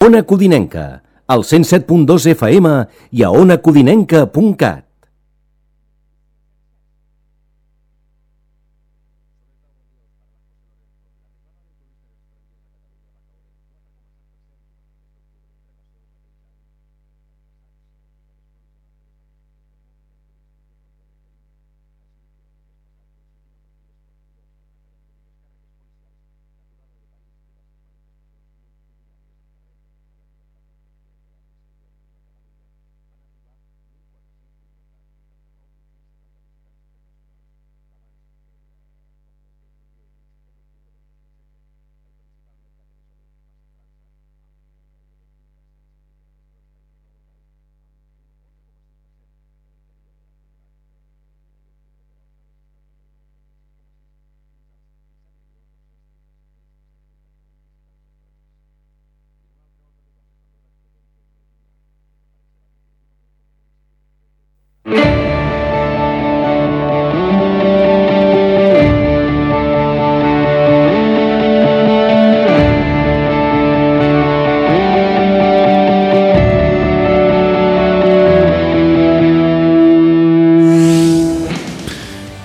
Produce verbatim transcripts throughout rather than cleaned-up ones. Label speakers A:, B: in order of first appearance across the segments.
A: Ona Codinenca, al cent set punt dos F M i a ona codinenca punt cat.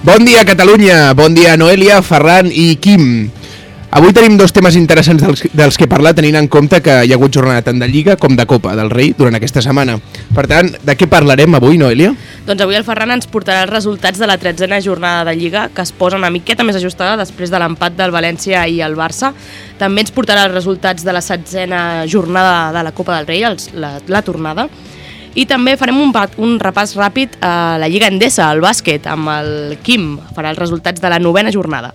B: Bon dia, Catalunya! Bon dia, Noelia, Ferran i Quim. Avui tenim dos temes interessants dels, dels que parlar, tenint en compte que hi ha hagut jornada tant de Lliga com de Copa del Rei durant aquesta setmana. Per tant, de què parlarem avui, Noelia?
C: Doncs avui el Ferran ens portarà els resultats de la tretzena jornada de Lliga, que es posa una miqueta més ajustada després de l'empat del València i el Barça. També ens portarà els resultats de la setzena jornada de la Copa del Rei, els, la, la tornada. I també farem un, un repàs ràpid a la Lliga Endesa, al bàsquet, amb el Quim. Farà els resultats de la novena jornada.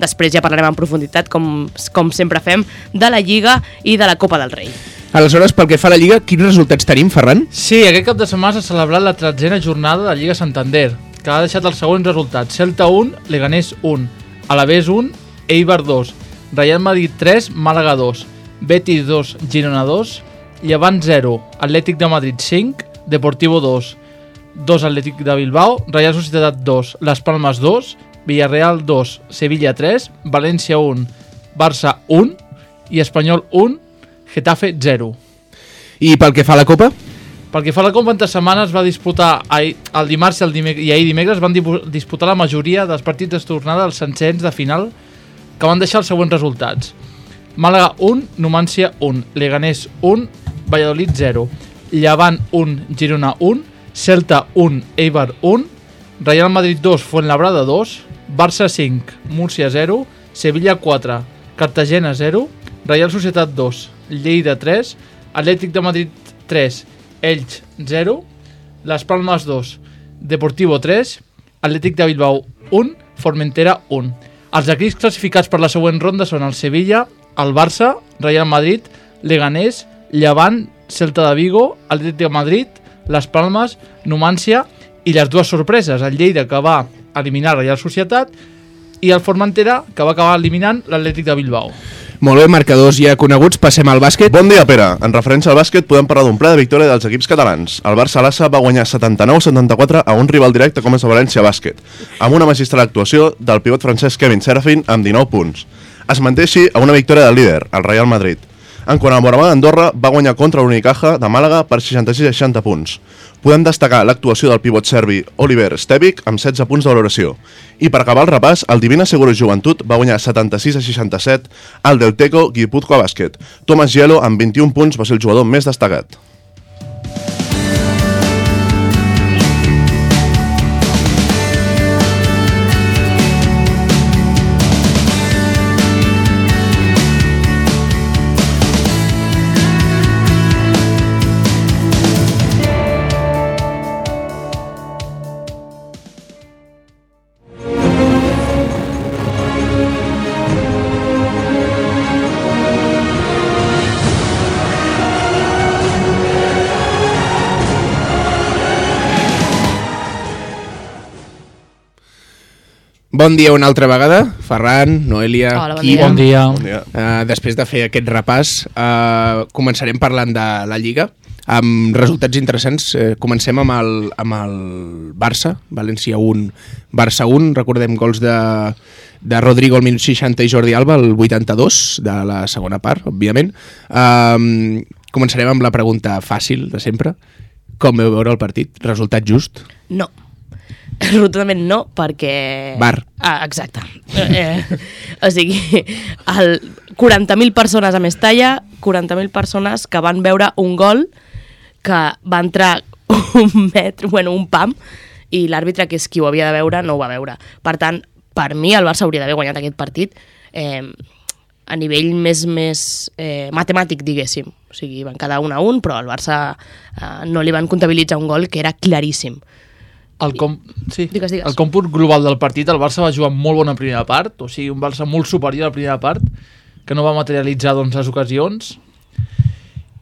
C: Després ja parlarem en profunditat, com, com sempre fem, de la Lliga i de la Copa del Rei.
B: Aleshores, pel que fa a la Lliga, quins resultats tenim, Ferran?
D: Sí, aquest cap de setmana s'ha celebrat la tretzena jornada de la Lliga Santander, que ha deixat els següents resultats. Celta un, Leganés un, Alavés un, Eibar dos, Real Madrid tres, Màlaga dos, Betis dos, Girona dos, Llevant zero, Atlètic de Madrid cinc, Deportivo dos, dos Atlètic de Bilbao, Real Societat dos, Las Palmas dos, Villarreal dos, Sevilla tres, València un, Barça un i Espanyol un, Getafe zero.
B: I pel que fa a la Copa?
D: Pel que fa a la Copa, entre setmanes va disputar ahir, el dimarts i, el dimec i ahir dimecres van disputar la majoria dels partits de tornada dels sencers de final, que van deixar els següents resultats. Màlaga un, Numància un, Leganés un, Valladolid zero, Llevant un, Girona un, Celta un, Eibar un, Real Madrid dos, Fuenlabrada dos, Barça cinc, Múrcia zero, Sevilla quatre, Cartagena zero, Real Societat dos, Lleida tres, Atlètic de Madrid tres, Elx zero, Las Palmas dos, Deportivo tres, Atlètic de Bilbao un, Formentera un. Els equips classificats per la següent ronda són el Sevilla, el Barça, Real Madrid, Leganés, Llevant, Celta de Vigo, Atlètic de Madrid, Las Palmas, Numància i les dues sorpreses, el Lleida, que va eliminar la Real Societat, i el Formentera, que va acabar eliminant l'Atlètic de Bilbao.
B: Molt bé, marcadors ja coneguts, passem al bàsquet.
E: Bon dia, Pere. En referència al bàsquet podem parlar d'un ple de victòria dels equips catalans. El Barça Lassa va guanyar setanta-nou a setanta-quatre a un rival directe com és el València Bàsquet, amb una magistral actuació del pivot francès Kevin Serafin amb dinou punts. Es manté així a una victòria del líder, el Real Madrid. En quant al Moraván Andorra, va guanyar contra l'Unicaja de Màlaga per seixanta-sis a seixanta punts. Podem destacar l'actuació del pivot serbi Oliver Stevic amb setze punts de valoració. I per acabar el repàs, el Divina Seguro Joventut va guanyar setanta-sis a seixanta-set al Delteco Guipúzcoa Bàsquet. Thomas Gielo amb vint-i-un punts va ser el jugador més destacat.
B: Bon dia una altra vegada, Ferran, Noelia,
C: Hola, bon
B: Quim.
C: dia.
D: Bon dia.
E: Bon dia.
B: Uh, després de fer aquest repàs, uh, començarem parlant de la Lliga, amb resultats interessants. Uh, comencem amb el, amb el Barça, València un, Barça un, recordem gols de, de Rodrigo al minut seixanta i Jordi Alba al vuitanta-dos de la segona part, òbviament. Uh, començarem amb la pregunta fàcil de sempre. Com veu veure el partit? Resultat just?
C: No. Rotundament no, perquè...
B: Bar.
C: Ah, exacte. Eh, o sigui, el quaranta mil persones a Mestalla, quaranta mil persones que van veure un gol que va entrar un metro, bueno, un pam, i l'àrbitre, que és qui ho havia de veure, no ho va veure. Per tant, per mi el Barça hauria d'haver guanyat aquest partit eh, a nivell més, més eh, matemàtic, diguéssim. O sigui, van quedar un a un, però al Barça eh, no li van comptabilitzar un gol que era claríssim.
D: El, com... sí.
C: Digues, digues.
D: El còmput global del partit, el Barça va jugar molt bona primera part, o sigui, un Barça molt superior a la primera part, que no va materialitzar doncs, les ocasions.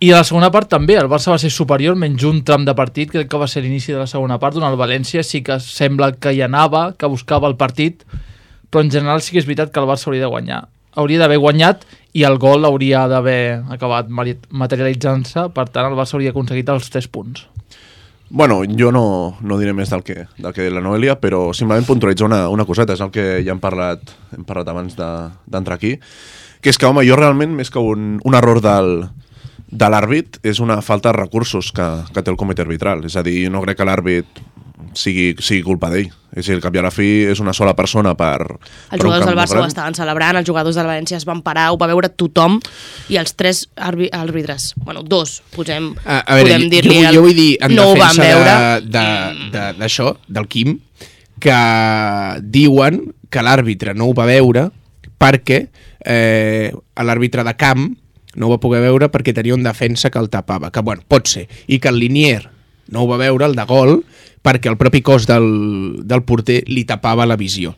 D: I a la segona part també, el Barça va ser superior, menys un tram de partit, crec que va ser l'inici de la segona part, on el València sí que sembla que hi anava, que buscava el partit, però en general sí que és veritat que el Barça hauria de guanyar. Hauria d'haver guanyat i el gol hauria d'haver acabat materialitzant-se, per tant el Barça hauria aconseguit els tres punts.
E: Bueno, jo no, no diré més del que, del que la Noelia, però simplement puntualitzar una, una coseta, és el que ja hem parlat, hem parlat abans d'entrar aquí, que és que, home, jo realment, més que un, un error del, de l'àrbit, és una falta de recursos que, que té el comitè arbitral. És a dir, no crec que l'àrbit sigui, sigui culpa d'ell. És a dir, al cap i a la fi és una sola persona per...
C: Els jugadors del Barça ho estaven celebrant, els jugadors del València es van parar, ho va veure tothom, i els tres àrbitres, bueno, dos, posem,
B: a, a veure,
C: podem dir-li...
B: Jo, jo vull dir, en
C: no
B: defensa d'això, de, de, del Quim, que diuen que l'àrbitre no ho va veure perquè eh, l'àrbitre de camp no ho va poder veure perquè tenia un defensa que el tapava, que bueno, pot ser, i que el Linier no ho va veure, el de gol, perquè el propi cos del, del porter li tapava la visió.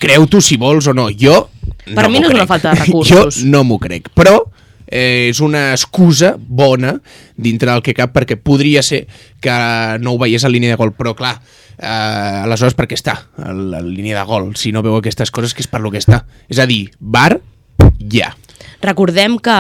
B: Creu-t'ho si vols o no, jo
C: per
B: no
C: mi no és
B: crec.
C: una falta de recursos.
B: Jo no m'ho crec, però eh, és una excusa bona dintre del que cap, perquè podria ser que no ho veiés a línia de gol, però clar, eh, aleshores per què està a la línia de gol si no veu aquestes coses, que és per lo que està? És a dir, bar, ja.
C: Recordem que,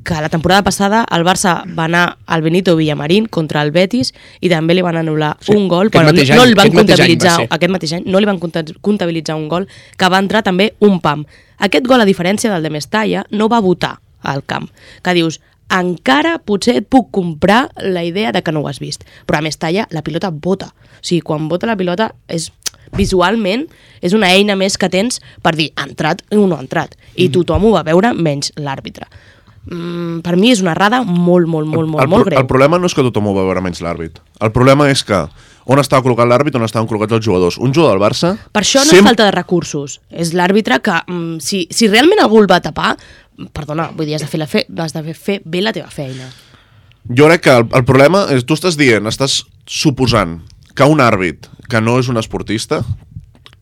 C: que la temporada passada el Barça va anar al Benito Villamarín contra el Betis i també li van anul·lar sí, un gol, però no, no el van comptabilitzar aquest mateix any, no li van comptabilitzar un gol que va entrar també un pam. Aquest gol, a diferència del de Mestalla, no va votar al camp, que dius, encara potser et puc comprar la idea de que no ho has vist, però a Mestalla la pilota vota, o sigui, quan vota la pilota és... visualment és una eina més que tens per dir ha entrat o no ha entrat, i tothom ho va veure menys l'àrbitre. Mm, per mi és una errada molt, molt, molt, molt,
E: el, el,
C: molt greu.
E: El problema no és que tothom ho va veure menys l'àrbit. El problema és que on estava col·locat l'àrbit, on estaven col·locats els jugadors. Un jugador del Barça...
C: Per això no
E: sempre...
C: és falta de recursos. És l'àrbitre que, mm, si, si realment algú el va tapar, perdona, vull dir, has de fer, la fe, has de fer bé la teva feina.
E: Jo crec que el, el problema és, tu estàs dient, estàs suposant que un àrbit que no és un esportista,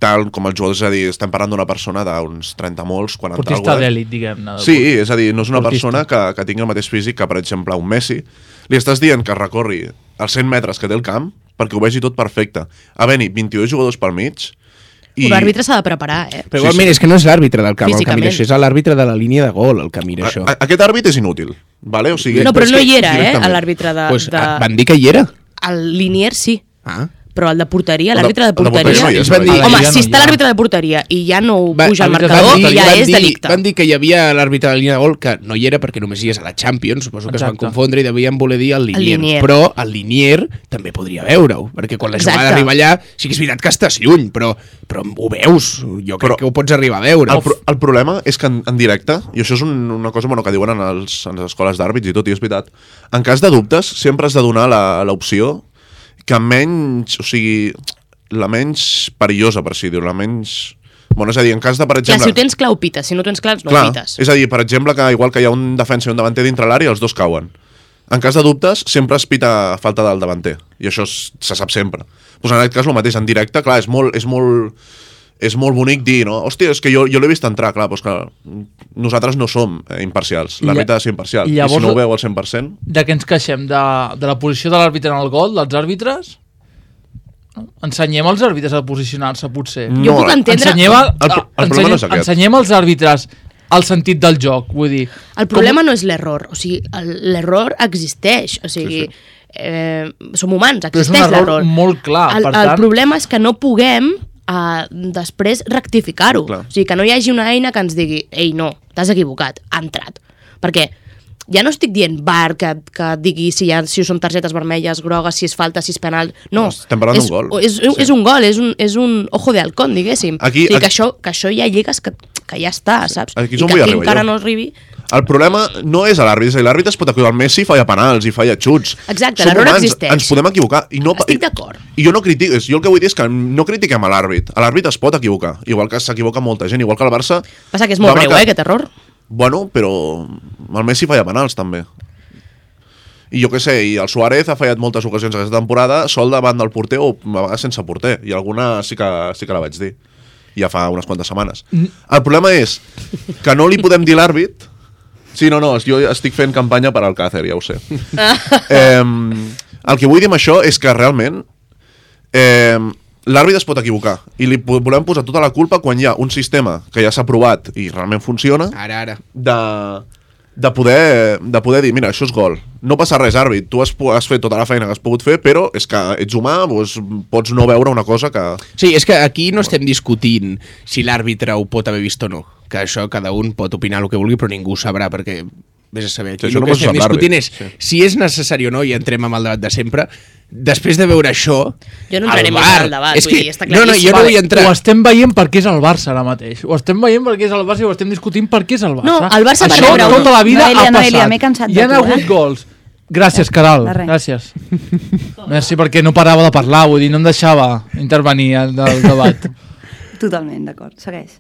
E: tal com els jugadors, és a dir, estem parlant d'una persona d'uns trenta molts, quaranta...
D: Esportista d'èlit, diguem-ne.
E: Sí, és a dir, no és una
D: Esportista.
E: persona que, que tingui el mateix físic que, per exemple, un Messi. Li estàs dient que recorri els cent metres que té el camp perquè ho vegi tot perfecte. Havent-hi vint-i-dos jugadors pel mig...
C: I... L'àrbitre s'ha de preparar, eh?
B: Però igualment sí, sí. és que no és l'àrbitre del camp el que
C: Físicament.
B: mira això, és l'àrbitre de la línia de gol el que mira això.
E: A, aquest àrbit és inútil, vale? O sigui,
C: No, però
E: és
C: no
E: que
C: hi era, eh,
E: directament.
C: l'àrbitre de...
B: Pues,
C: de...
B: van dir que hi era.
C: El Linier sí,
B: Ah.
C: però el de porteria,
E: El de-
C: l'àrbitre de
E: el de
C: porteria...
E: porteria no hi és,
B: van dir-
C: Home,
D: ja no
C: si
D: hi
C: està
D: ha.
C: l'àrbitre de porteria i ja no
B: Va-
C: puja el
D: van dir-
C: marcador,
B: van dir-
C: ja
B: van
C: és
B: dir-
C: delicte.
B: Van dir que hi havia l'àrbitre de la línia de gol que no hi era perquè només hi és a la Champions, suposo que es van
D: Exacte.
B: confondre i devien voler dir el Linier.
C: El Linier.
B: Però el Linier també podria veure-ho, perquè quan la jugada
C: Exacte.
B: arriba allà, sí que és veritat que estàs lluny, però, però ho veus, jo crec
E: Però
B: que ho pots arribar a veure.
E: El, pro el problema és que en, en directe, i això és un, una cosa bueno, que diuen en, els, en les escoles d'àrbits i tot, i és veritat, en cas de dubtes sempre has de donar l'opció que menys, o sigui, la menys perillosa, per així dir, la menys... Bueno, és a dir, en cas de, per
C: Clar,
E: exemple...
C: si ho tens clar, ho pites. Si no ho tens clar, no
E: Clar,
C: ho pites.
E: és a dir, per exemple, que igual que hi ha un defensa i un davanter dintre l'àrea, els dos cauen. En cas de dubtes, sempre es pita falta del davanter, i això es, se sap sempre. Pues en aquest cas, el mateix, en directe, clar, és molt... És molt és molt bonic dir, no? Hòstia, és que jo, jo l'he vist entrar, clar, doncs que nosaltres no som eh, imparcials, l'àrbitre ha de ser imparcial, i,
D: llavors,
E: i si no ho veu al cent per cent...
D: De què ens queixem? De, de la posició de l'àrbitre en el gol, dels àrbitres? Ensenyem als àrbitres a posicionar-se, potser.
C: Jo puc entendre...
D: Ensenyem, a,
E: El pro- el problema
D: ensenyem,
E: no és aquest.
D: ensenyem als àrbitres el sentit del joc, vull dir...
C: El problema no és l'error, o sigui, el- l'error existeix, o sigui,
E: Sí, sí.
C: Eh, som humans,
D: Però és un
C: existeix
D: error
C: l'error.
D: molt clar,
C: el,
D: per
C: el
D: tant-
C: problema és que no puguem uh, després rectificar-ho.
E: Clar.
C: O sigui, que no hi hagi una eina que ens digui ei, no, t'has equivocat, ha entrat. Perquè ja no estic dient bar que, que et digui si, hi ha, si són targetes vermelles, grogues, si és falta, si és penal. No,
E: estem parlant
C: és,
E: d'un gol.
C: És, és,
E: Sí.
C: és un gol, és un, és un ojo de halcón, diguéssim.
E: Aquí-
C: o sigui,
E: aquí-
C: que, això, que això hi ha lligues que, que ja està, saps?
E: Aquí és
C: I
E: on
C: que
E: vull
C: aquí
E: arribar
C: encara
E: jo.
C: no arribi...
E: El problema no és a l'àrbit, és a dir, l'àrbit es pot equivocar. El Messi falla penals i falla xuts.
C: Exacte,
E: Som
C: l'error
E: humans,
C: existeix.
E: Ens podem equivocar. I no,
C: Estic
E: i-
C: d'acord.
E: I jo no critico, jo el que vull dir és que no critiquem a l'àrbit. A l'àrbit es pot equivocar, igual que s'equivoca molta gent, igual que el Barça...
C: Passa que és molt
E: va
C: breu,
E: marcar-
C: eh, aquest error.
E: Bueno, però el Messi falla penals, també. I jo què sé, i el Suárez ha fallat moltes ocasions aquesta temporada sol davant del porter o a vegades sense porter. I alguna sí que, sí que la vaig dir. Ja fa unes quantes setmanes. El problema és que no li podem dir l'àrbit. Sí, no, no, jo estic fent campanya per al Càcer, ja ho sé. eh, el que vull dir amb això és que realment eh, l'àrbit es pot equivocar i li po- volem posar tota la culpa quan hi ha un sistema que ja s'ha provat i realment funciona
B: Ara, ara.
E: de, de, poder, de poder dir, mira, això és gol. No passa res, àrbit, tu has, pu- has fet tota la feina que has pogut fer, però és que ets humà, doncs pots no veure una cosa que...
B: Sí, és que aquí no estem discutint si l'àrbitre ho pot haver vist o no, que això cada un pot opinar el que vulgui, però ningú ho sabrà, perquè vés a saber. Aquí
E: Sí, això
B: el
E: no
B: que
E: pot
B: estem
E: ser
B: discutint
E: l'àrbit,
B: és
E: sí.
B: si és necessari o no, i entrem amb el debat de sempre, després de veure això...
C: Jo no entraré
B: el
C: més
B: VAR,
C: en el debat,
B: és
C: vull
B: que,
C: dir, està
B: no, no, jo
C: claríssim.
B: no vull
D: Vale,
B: entrar...
D: Ho estem veient perquè és el Barça ara mateix. Ho estem veient perquè és el Barça i ho estem discutint perquè és el Barça.
C: No, el Barça va
D: Això
C: rebre un-
D: tota la vida
F: Noelia,
D: ha passat.
F: Noelia, m'he cansat de
D: Hi ha
F: tu,
D: hagut
F: eh?
D: gols. Gràcies, Caral.
F: De res.
D: Gràcies. Merci, perquè no parava de parlar, vull dir, no em deixava intervenir al del debat.
F: Totalment, d'acord, segueix.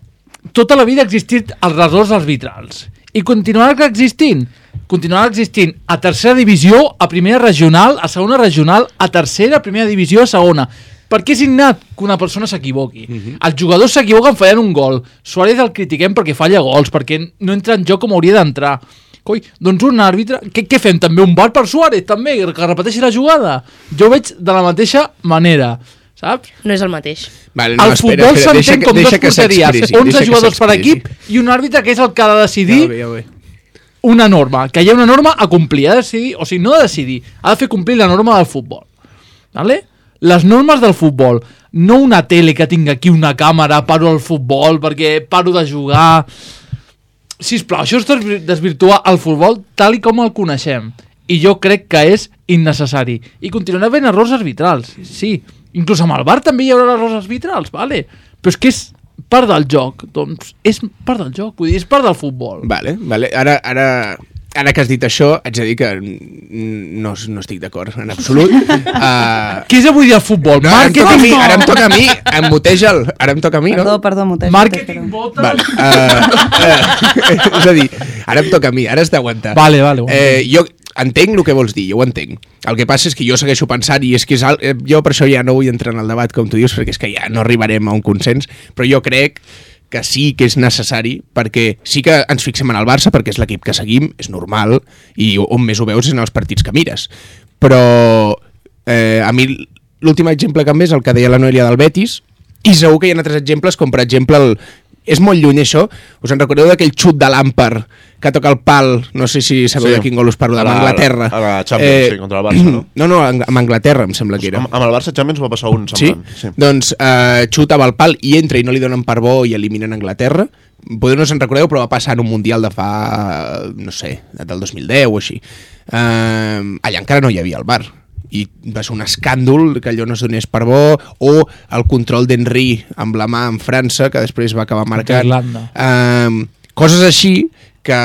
D: Tota la vida ha existit els errors arbitrals. I continuarà existint. Continuarà existint a tercera divisió, a primera regional, a segona regional, a tercera, a primera divisió, a segona. Perquè és innat que una persona s'equivoqui.
B: Mhm.
D: Els jugadors s'equivoquen fallant un gol. Suárez el critiquem perquè falla gols, perquè no entra en joc com hauria d'entrar. Coi, doncs un àrbitre... Què, què fem? També un bar per Suárez, també, que repeteixi la jugada? Jo ho veig de la mateixa manera, saps?
C: No és el mateix.
B: Vale,
D: El futbol s'entén com dos porteries,
B: s'expressi,
D: onze
B: deixa que
D: jugadors per
B: s'expressi.
D: equip i un àrbitre que és el que ha de decidir
B: Ja ho ve, ja ho ve.
D: una norma, que hi ha una norma a complir, ha de decidir, o sigui, no ha de decidir, ha de fer complir la norma del futbol. Vale? Les normes del futbol, no una tele que tinc aquí una càmera, paro el futbol perquè paro de jugar... Sisplau, això és desvir- desvirtuar el futbol tal i com el coneixem. I jo crec que és innecessari. I continuarà havent errors arbitrals, sí. Inclús amb el V A R també hi haurà errors arbitrals, vale? Però és que és part del joc, doncs és part del joc, vull dir, és part del futbol.
B: Vale, vale. Ara, ara, ara que has dit això, haig de dir que mm, no, no estic d'acord en absolut. Uh,
D: Què és avui dia el futbol?
B: no, ara, em toca a mi,
D: no!
B: ara em toca a mi, em muteja'l, ara em toca a mi, no?
F: Perdó, perdó, Motejo.
D: Màrqueting, votes...
B: Vale. Uh, uh, és a dir, ara em toca a mi, ara has d'aguantar.
D: Vale, vale, ho
B: Eh, jo entenc el que vols dir, jo ho entenc. El que passa és que jo segueixo pensant, i és que és al... eh, jo per això ja no vull entrar en el debat, com tu dius, perquè és que ja no arribarem a un consens, però jo crec que sí que és necessari, perquè sí que ens fixem en el Barça, perquè és l'equip que seguim, és normal, i on més ho veus és en els partits que mires. Però eh, a mi l'últim exemple que em ve és el que deia la Noelia del Betis, i segur que hi ha altres exemples, com per exemple el... És molt lluny això, us en recordeu d'aquell xut de Lampard que toca el pal, no sé si sabeu
E: Sí.
B: de quin gol us parlo,
E: A
B: amb
E: la-
B: Anglaterra.
E: a la Champions, sí, contra el Barça, no?
B: No, no, amb Anglaterra em sembla que era.
E: Amb, amb el Barça Champions va passar un
B: Sí?
E: semblant. Sí?
B: Doncs eh, xuta amb el pal i entra i no li donen per bo i eliminen Anglaterra. Potser no se'n recordeu, però va passar en un Mundial de fa, no sé, del dos mil deu o així. Eh, allà encara no hi havia el V A R. I va ser un escàndol que allò no es donés per bo, o el control d'Henry amb la mà en França, que després va acabar marcant.
D: Irlanda.
B: Eh, coses així que,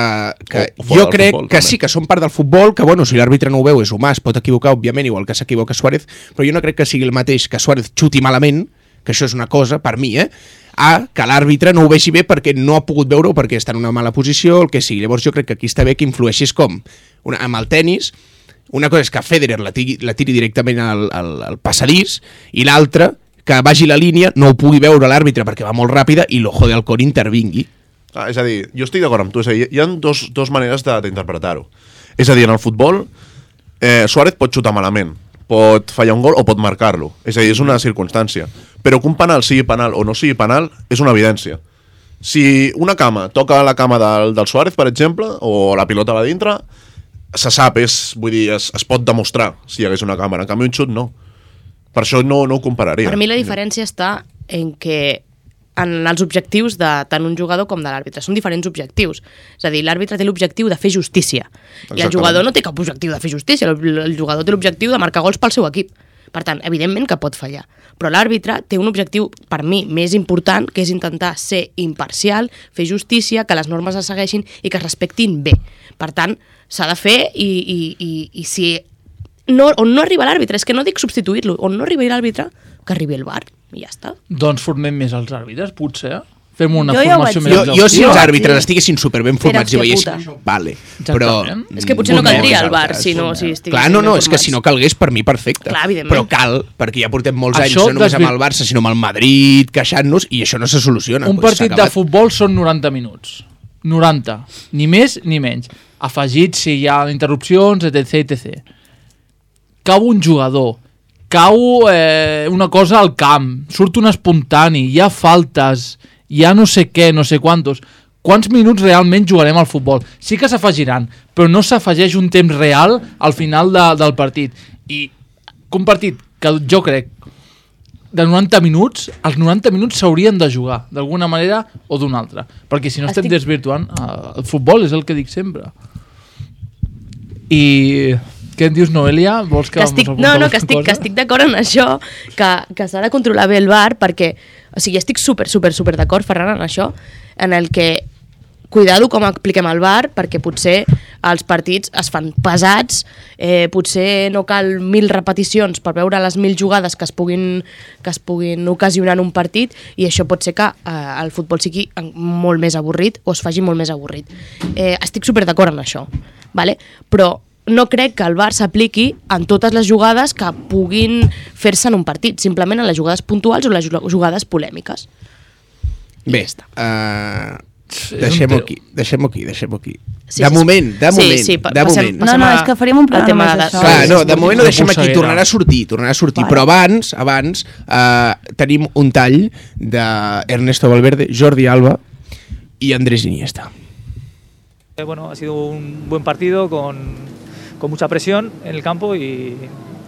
B: que
E: O- o fora
B: jo
E: del
B: crec
E: futbol,
B: que
E: també.
B: sí que són part del futbol, que bueno, si l'àrbitre no ho veu és humà, es pot equivocar, òbviament, igual que s'equivoca Suárez, però jo no crec que sigui el mateix que Suárez xuti malament, que això és una cosa, per mi, eh? a que l'àrbitre no ho vegi bé perquè no ha pogut veure-ho, perquè està en una mala posició, el que sigui. Llavors jo crec que aquí està bé que influeixis com una, amb el tennis. Una cosa és que Federer la tiri, la tiri directament al, al, al passadís, i l'altra, que vagi la línia, no ho pugui veure l'àrbitre perquè va molt ràpida i l'ojo del cor intervingui.
E: Ah, és a dir, jo estic d'acord amb tu, és a dir, hi ha dos, dos maneres de- d'interpretar-ho. És a dir, en el futbol, eh, Suárez pot xutar malament, pot fallar un gol o pot marcar-lo. És a dir, és una circumstància. Però que un penal sigui penal o no sigui penal és una evidència. Si una cama toca la cama del, del Suárez, per exemple, o la pilota va dintre, se sap, és, vull dir, es, es pot demostrar si hi hagués una càmera. En canvi, un xut no. Per això no, no ho compararia.
C: Per mi la diferència està en que en els objectius de tant un jugador com de l'àrbitre. Són diferents objectius. És a dir, l'àrbitre té l'objectiu de fer justícia. Exactament. I el jugador no té cap objectiu de fer justícia. El, el jugador té l'objectiu de marcar gols pel seu equip. Per tant, evidentment que pot fallar. Però l'àrbitre té un objectiu, per mi, més important, que és intentar ser imparcial, fer justícia, que les normes es segueixin i que es respectin bé. Per tant, s'ha de fer i, i, i, i si no, on no arriba l'àrbitre, és que no dic substituir-lo, on no arriba l'àrbitre, que arribi el V A R i ja està.
D: Doncs formem més els àrbitres, potser. Fem una
F: Jo ja ho
D: formació
F: vaig
D: més
F: dir.
B: Jo,
D: exhaustiva.
B: jo si els
F: Jo-
B: àrbitres estiguessin superben formats i
F: Era
B: veiessin...
F: hòstia
B: Vale,
D: Exactament.
B: però...
C: És que potser no
B: formem
C: caldria el V A R
B: nosaltres.
C: si no si estiguessin
B: Clar, no, no,
C: ben
B: és que si no calgués, per mi, perfecte.
C: Clar, evidentment.
B: Però cal, perquè ja portem molts anys,
D: Això
B: no només amb
D: desvi-
B: el Barça, sinó amb el Madrid, queixant-nos, i això no se soluciona.
D: Un
B: Pues
D: partit
B: s'ha
D: de
B: acabat.
D: futbol són noranta minuts. noranta. Ni més ni menys. Afegit si hi ha interrupcions, etc etcètera. Cau un jugador, cau eh, una cosa al camp, surt un espontani, hi ha faltes, hi ha no sé què, no sé quantos. Quants minuts realment jugarem al futbol? Sí que s'afegiran, però no s'afegeix un temps real al final de, del partit. I un partit que jo crec de noranta minuts, els noranta minuts s'haurien de jugar, d'alguna manera o d'una altra. Perquè si no estem
C: Estic-
D: desvirtuant, eh, el futbol és el que dic sempre. I... Què en dius, Noelia? Vols que,
C: que estic,
D: mos
C: no,
D: apuntem
C: no, que estic,
D: cosa?
C: que estic d'acord en això, que, que s'ha de controlar bé el V A R, perquè, o sigui, estic super, super, super d'acord, Ferran, en això, en el que cuidado com apliquem el V A R, perquè potser els partits es fan pesats, eh, potser no cal mil repeticions per veure les mil jugades que es puguin, que es puguin ocasionar en un partit, i això pot ser que eh, el futbol sigui molt més avorrit o es faci molt més avorrit. Eh, estic super d'acord en això, vale? Però no crec que el V A R s'apliqui en totes les jugades que puguin fer-se en un partit, simplement en les jugades puntuals o les jugades polèmiques.
B: Bé, uh,
D: un
B: deixem-ho
D: teu.
B: aquí, deixem-ho aquí, deixem-ho aquí.
C: Sí,
B: de
C: sí,
B: moment, de
C: sí,
B: moment,
C: sí, pa-
B: de
C: passem-
B: moment.
F: No,
C: passem
F: no,
C: a-
F: és que faríem un
C: al
F: programa
C: tema
F: més
C: de-
F: d'això.
B: Clar, no, de
D: és
B: moment ho
D: una
B: deixem aquí,
D: polseguera.
B: tornarà a sortir, tornarà a sortir,
F: Vale.
B: però abans, abans eh, tenim un tall d'Ernesto Valverde, Jordi Alba i Andrés Iniesta.
G: Eh, Bueno, ha sido un buen partido con, con mucha presión en el campo y,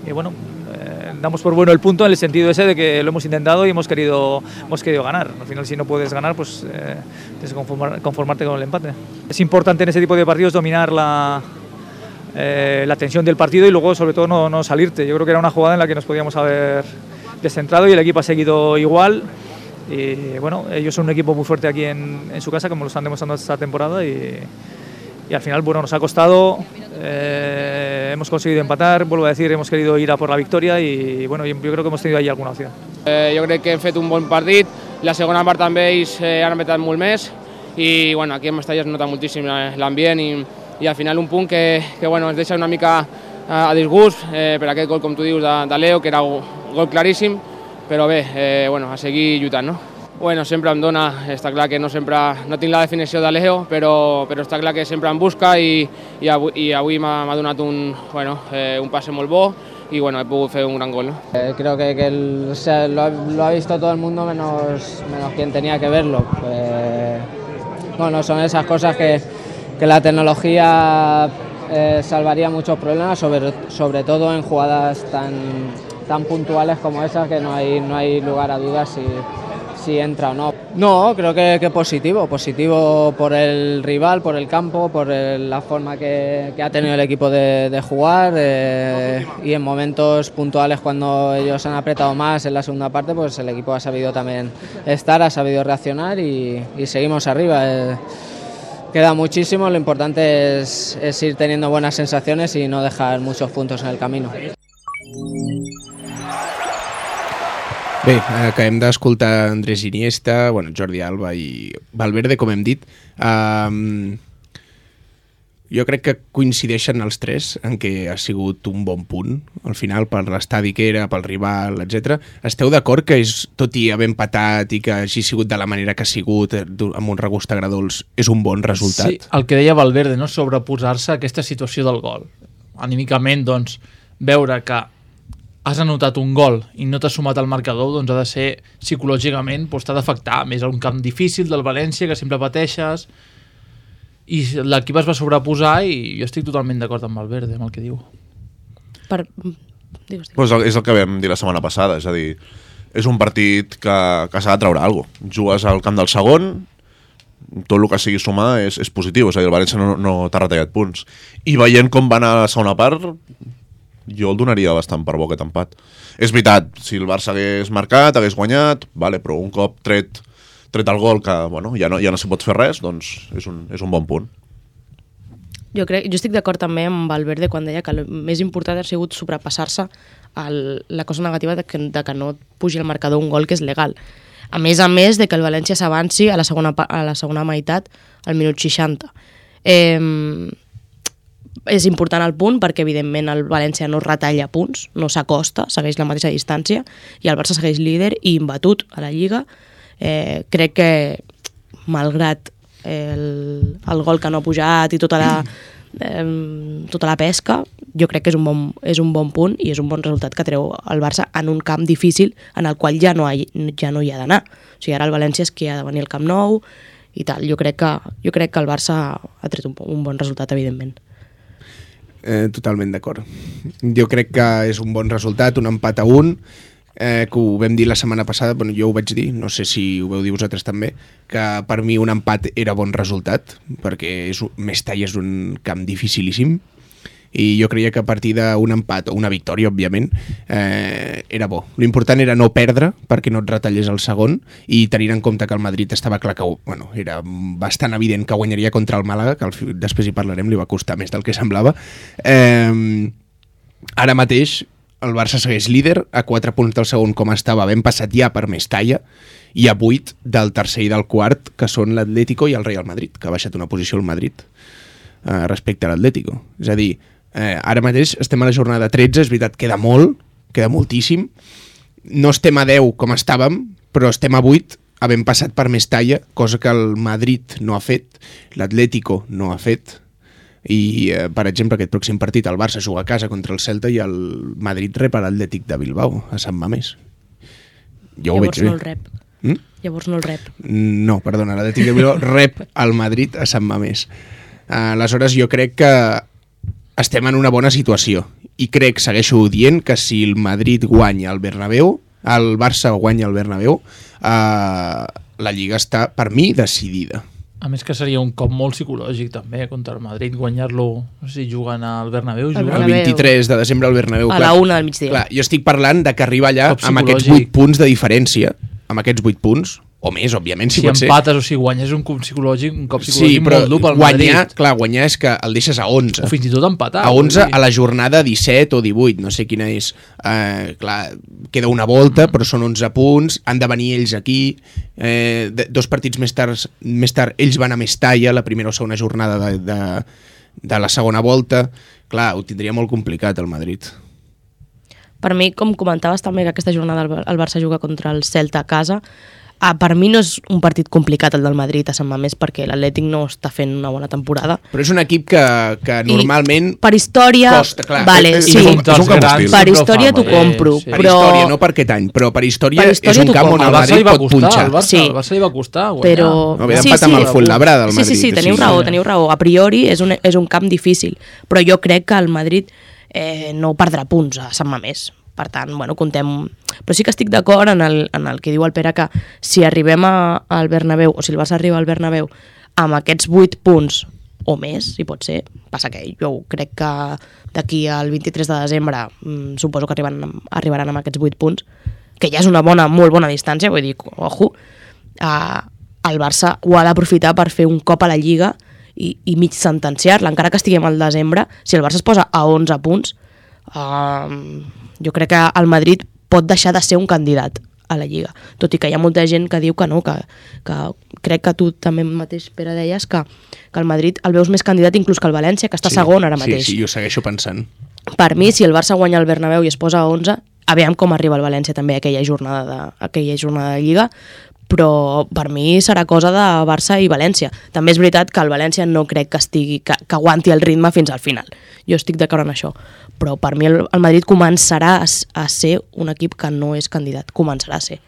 G: y bueno, eh, damos por bueno el punto en el sentido ese de que lo hemos intentado y hemos querido, hemos querido ganar. Al final, si no puedes ganar, pues eh, tienes que conformar- conformarte con el empate. Es importante en ese tipo de partidos dominar la, eh, la tensión del partido y luego, sobre todo, no, no salirte. Yo creo que era una jugada en la que nos podíamos haber descentrado y el equipo ha seguido igual. Y bueno, ellos son un equipo muy fuerte aquí en, en su casa, como lo están demostrando esta temporada. Y, y al final, bueno, nos ha costado, eh, hemos conseguido empatar, vuelvo a decir, hemos querido ir a por la victoria y bueno, yo, yo creo que hemos tenido ahí alguna opción.
H: Eh, jo crec que hem fet un bon partit, la segona part també ells eh, han apretat molt més i bueno, aquí en Mestalla es nota moltíssim l'ambient i, i al final un punt que, que bueno, ens deixa una mica a, a disgust eh, per aquest gol, com tu dius, de, de Leo, que era un gol claríssim, però bé, eh, bueno, a seguir lluitant, no? Bueno, sempre em dona, està clar que no sempre no tinc la definició de Leo, però, però està clar que sempre em busca i, i avui, i avui m'ha m'ha donat un, bueno, eh, un passe molt bo y bueno, he podido hacer un gran gol, ¿no?
I: Eh, creo que, que el- o sea, lo, ha, lo ha visto todo el mundo menos, menos quien tenía que verlo. Eh, bueno, son esas cosas que, que la tecnología eh, salvaría muchos problemas, sobre, sobre todo en jugadas tan, tan puntuales como esas, que no hay, no hay lugar a dudas si, si entra o no. No, creo que, que positivo, positivo por el rival, por el campo, por el- la forma que, que ha tenido el equipo de, de jugar eh, y en momentos puntuales cuando ellos han apretado más en la segunda parte, pues el equipo ha sabido también estar, ha sabido reaccionar y, y seguimos arriba. Eh, queda muchísimo, lo importante es, es ir teniendo buenas sensaciones y no dejar muchos puntos en el camino.
B: Bé, acabem d'escoltar Andrés Iniesta, bueno, Jordi Alba i Valverde, com hem dit. Um, jo crec que coincideixen els tres en què ha sigut un bon punt, al final, per l'estadi que era, pel rival, etcètera. Esteu d'acord que, és, tot i haver empatat i que hagi sigut de la manera que ha sigut, eh, amb un regust agradols, és un bon resultat?
D: Sí, el que deia Valverde, no? Sobreposar-se a aquesta situació del gol. Anímicament, doncs, veure que has anotat un gol i no t'has sumat al marcador, doncs ha de ser psicològicament, doncs t'ha d'afectar. A més, un camp difícil del València, que sempre pateixes, i l'equip es va sobreposar i jo estic totalment d'acord amb Valverde, amb el que diu.
C: Per... Digues, digues.
E: Pues és el que vam dir la setmana passada, és a dir, és un partit que, que s'ha de treure alguna cosa. Jugues al camp del segon, tot el que sigui sumar és, és positiu, és a dir, el València no, no t'ha retallat punts. I veient com va anar a la segona part, jo el donaria bastant per bo aquest empat. És veritat, si el Barça hagués marcat, hagués guanyat, vale, però un cop tret, tret el gol que bueno, ja no, ja no s'hi pot fer res, doncs és un, és un bon punt.
C: Jo, crec, jo estic d'acord també amb Valverde quan deia que el més important ha sigut sobrepassar-se el, la cosa negativa de que, de que no pugi al marcador un gol que és legal. A més a més de que el València s'avanci a la segona, a la segona meitat al minut seixanta. Eh, és important el punt perquè evidentment el València no retalla punts, no s'acosta, segueix la mateixa distància i el Barça segueix líder i imbatut a la Lliga. Eh, crec que malgrat el, el gol que no ha pujat i tota la, eh, tota la pesca, jo crec que és un, bon, és un bon punt i és un bon resultat que treu el Barça en un camp difícil en el qual ja no, hi, ja no hi ha d'anar. O sigui, ara el València és que ha de venir al Camp Nou i tal. Jo crec que, jo crec que el Barça ha tret un, un bon resultat, evidentment.
B: Eh, totalment d'acord. Jo crec que és un bon resultat, un empat a un, eh, que ho vam dir la setmana passada, bueno, jo ho vaig dir, no sé si ho veu dir vosaltres també, que per mi un empat era bon resultat, perquè és, Mestalla és un camp dificilíssim, i jo creia que a partir d'un empat o una victòria, òbviament, eh, era bo. L'important era no perdre perquè no et retallés el segon i tenint en compte que el Madrid estava clar que bueno, era bastant evident que guanyaria contra el Màlaga, que el, després hi parlarem, li va costar més del que semblava. Eh, ara mateix el Barça segueix líder, a quatre punts del segon com estava, ben passat ja per Mestalla, i a vuit del tercer i del quart, que són l'Atlético i el Real Madrid, que ha baixat una posició al Madrid eh, respecte a l'Atlético. És a dir, Eh, ara mateix estem a la jornada tretze, és veritat, queda molt, queda moltíssim. No estem a deu com estàvem, però estem a vuit, havent passat per Mestalla, cosa que el Madrid no ha fet, l'Atlético no ha fet, i, eh, per exemple, aquest pròxim partit el Barça juga a casa contra el Celta i el Madrid rep a l'Atlètic de Bilbao, a Sant Mamés. Jo
C: Llavors
B: ho veig
C: no
B: bé.
C: el rep.
B: Mm?
C: Llavors no el rep.
B: No, perdona, l'Atlètic de Bilbao rep al Madrid a Sant Mamés. Uh, aleshores, jo crec que estem en una bona situació i crec, segueixo dient, que si el Madrid guanya al Bernabéu, el Barça guanya al Bernabéu, eh, la Lliga està, per mi, decidida.
D: A més que seria un cop molt psicològic també contra el Madrid, guanyar-lo, no sé si juguen al Bernabéu.
C: El
D: Juguen...
B: El vint-i-tres de desembre al Bernabéu.
C: A
B: clar,
C: la una del migdia.
B: Clar, jo estic parlant de que arriba allà
D: Cop
B: amb aquests
D: psicològic.
B: vuit punts de diferència, amb aquests vuit punts, o més, òbviament, si,
D: Si
B: pot ser.
D: empates o si guanyes un cop psicològic, un cop
B: Sí,
D: psicològic
B: però
D: molt dur pel
B: guanyar,
D: Madrid.
B: clar, guanyar és que el deixes a onze.
D: O fins i tot empatar.
B: A onze
D: vull dir.
B: a la jornada disset o divuit, no sé quina és. Eh, clar, queda una volta, però són onze punts, han de venir ells aquí. Eh, de, dos partits més tard, més tard, ells van a Mestalla, la primera o segona jornada de, de, de la segona volta. Clar, ho tindria molt complicat el Madrid.
C: Per mi, com comentaves també que aquesta jornada el, el Barça juga contra el Celta a casa, ah, per mi no és un partit complicat el del Madrid a Sant Mamés perquè l'Atlètic no està fent una bona temporada.
B: Però és un equip que, que normalment
C: I per història,
B: costa, clar.
C: vale,
E: És-
C: sí,
E: és un- és un camp hostil.
C: per història t'ho
D: Eh,
C: compro,
D: sí.
B: per
C: però...
B: història, no per aquest any, però per història,
C: Per història
B: és un
C: t'ho
B: camp on
C: compro.
B: el
D: Al Barça li
B: Madrid
D: va
B: pot
D: costar,
B: punxar.
D: al Barça,
C: Sí.
D: al Barça li va costar guanyar.
C: Però...
B: No, ve d'empatar amb el Fuenlabrada, el
C: sí, sí, sí,
B: Madrid,
C: teniu
B: sí.
C: raó, teniu raó. A priori és un, és un camp difícil, però jo crec que el Madrid eh, no perdrà punts a Sant Mamés. Per tant, bueno, contem... Però sí que estic d'acord en, el, en el que diu el Pere, que si arribem a, al Bernabéu, o si el Barça arriba al Bernabéu amb aquests vuit punts o més, si pot ser, passa que jo crec que d'aquí al vint-i-tres de desembre mmm, suposo que arribaran, arribaran amb aquests vuit punts, que ja és una bona, molt bona distància, vull dir, ojo, uh, el Barça ho ha d'aprofitar per fer un cop a la Lliga i, i mig sentenciar-la, encara que estiguem al desembre, si el Barça es posa a onze punts, uh, jo crec que el Madrid pot deixar de ser un candidat a la Lliga, tot i que hi ha molta gent que diu que no, que, que crec que tu també mateix, Pere, deies que, que el Madrid el veus més candidat inclús que el València, que està
B: Sí,
C: segon ara mateix.
B: Sí, sí, jo segueixo pensant.
C: Per mi, si el Barça guanya el Bernabéu i es posa a onze, aviam com arriba el València també a aquella jornada de, a aquella jornada de Lliga, però per mi serà cosa de Barça i València. També és veritat que el València no crec que estigui que, que aguanti el ritme fins al final. Jo estic d'acord en això. Però per mi el, el Madrid començarà a, a ser un equip que no és candidat. Començarà a ser,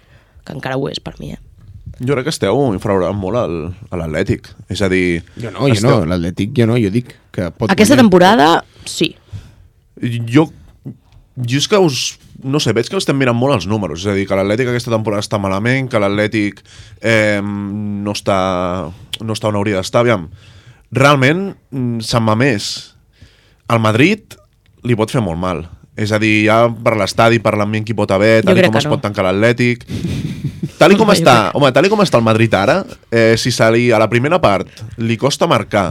C: que encara ho és per mi, eh?
E: Jo crec que esteu infravalorant molt el, a l'Atlètic. És a dir...
B: Jo no, jo
E: esteu...
B: no, l'Atlètic jo no, jo dic que pot
C: Aquesta
B: guanyar.
C: temporada, sí.
E: Jo, jo és que us, no sé, veig que estem mirant molt els números, és a dir, que l'Atlètic aquesta temporada està malament, que l'Atlètic eh, no està no està on hauria d'estar, aviam. Realment, Sant Mamés, el Madrid li pot fer molt mal. És a dir, ja per l'estadi, per l'ambient que hi pot haver, tal com es no. pot tancar l'Atlètic. Tal com està, home, tal com està el Madrid ara, eh, si se li, a la primera part li costa marcar,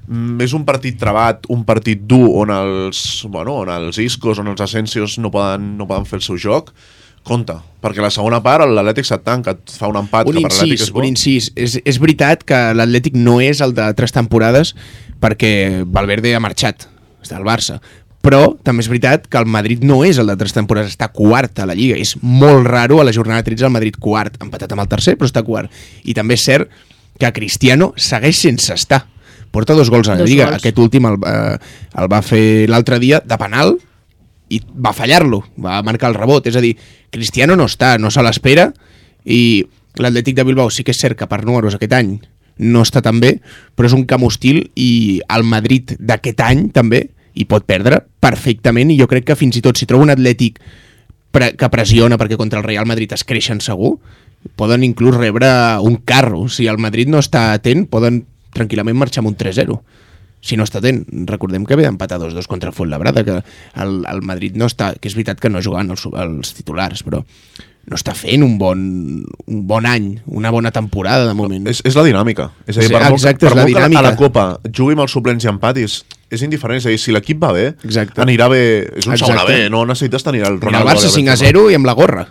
E: mm, és un partit trebat, un partit dur on els, bueno, on els Iscos, on els Asensios no poden, no poden fer el seu joc, compte, perquè la segona part l'Atlètic se't tanca, et fa un empat
B: un
E: que per l'Atlètic és bo.
B: Un incís, és, és veritat que l'Atlètic no és el de tres temporades perquè Valverde ha marxat, està al Barça, però també és veritat que el Madrid no és el de tres temporades, està quart a la Lliga. És molt raro a la jornada tretze el Madrid quart, empatat amb el tercer, però està quart. I també és cert que Cristiano segueix sense estar. Porta dos gols a la dos Lliga. Gols. Aquest últim el, eh, el va fer l'altre dia de penal i va fallar-lo, va marcar el rebot. És a dir, Cristiano no està, no se l'espera, i l'Atlètic de Bilbao sí que és cert que per números aquest any no està tan bé, però és un camp hostil i el Madrid d'aquest any també i pot perdre perfectament, i jo crec que fins i tot si troba un Atlètic pre que pressiona perquè contra el Real Madrid es creixen segur, poden inclús rebre un carro. Si el Madrid no està atent, poden tranquil·lament marxar amb un tres zero. Si no està atent, recordem que ve d'empatar dos dos contra el Fuenlabrada, que el, el Madrid no està, que és veritat que no jugant els, els titulars, però no està fent un bon, un bon any, una bona temporada de moment.
E: És, és la dinàmica. És a dir, per
B: Exacte,
E: molt, per
B: és la
E: molt que a la
B: dinàmica.
E: Copa jugui amb els suplents i empatis, és indiferent. És a dir, si l'equip va bé,
B: Exacte.
E: anirà bé. És un
B: Exacte.
E: segona bé, no necessites tenir el Ronaldo.
B: Mira, el Barça cinc a zero i amb la gorra.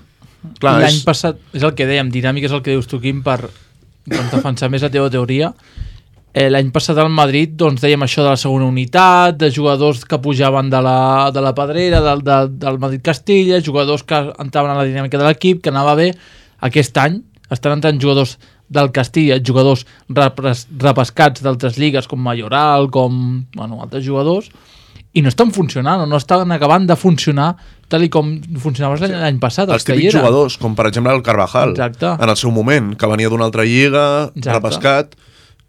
D: L'any és... passat, és el que dèiem, dinàmica és el que dius tu, Quim, per defensar més la teva teoria. Eh, L'any passat al Madrid doncs, dèiem això de la segona unitat, de jugadors que pujaven de la, de la pedrera, del, de, del Madrid-Castilla, jugadors que entraven a la dinàmica de l'equip, que anava bé. Aquest any estan entrant jugadors del Castilla, jugadors repres, repescats d'altres lligues com Mayoral, com bueno, altres jugadors, i no estan funcionant, o no estan acabant de funcionar tal i com funcionava sí. l'any passat.
E: Els típics jugadors, com per exemple el Carvajal,
D: Exacte.
E: en el seu moment, que venia d'una altra lliga, Exacte. repescat,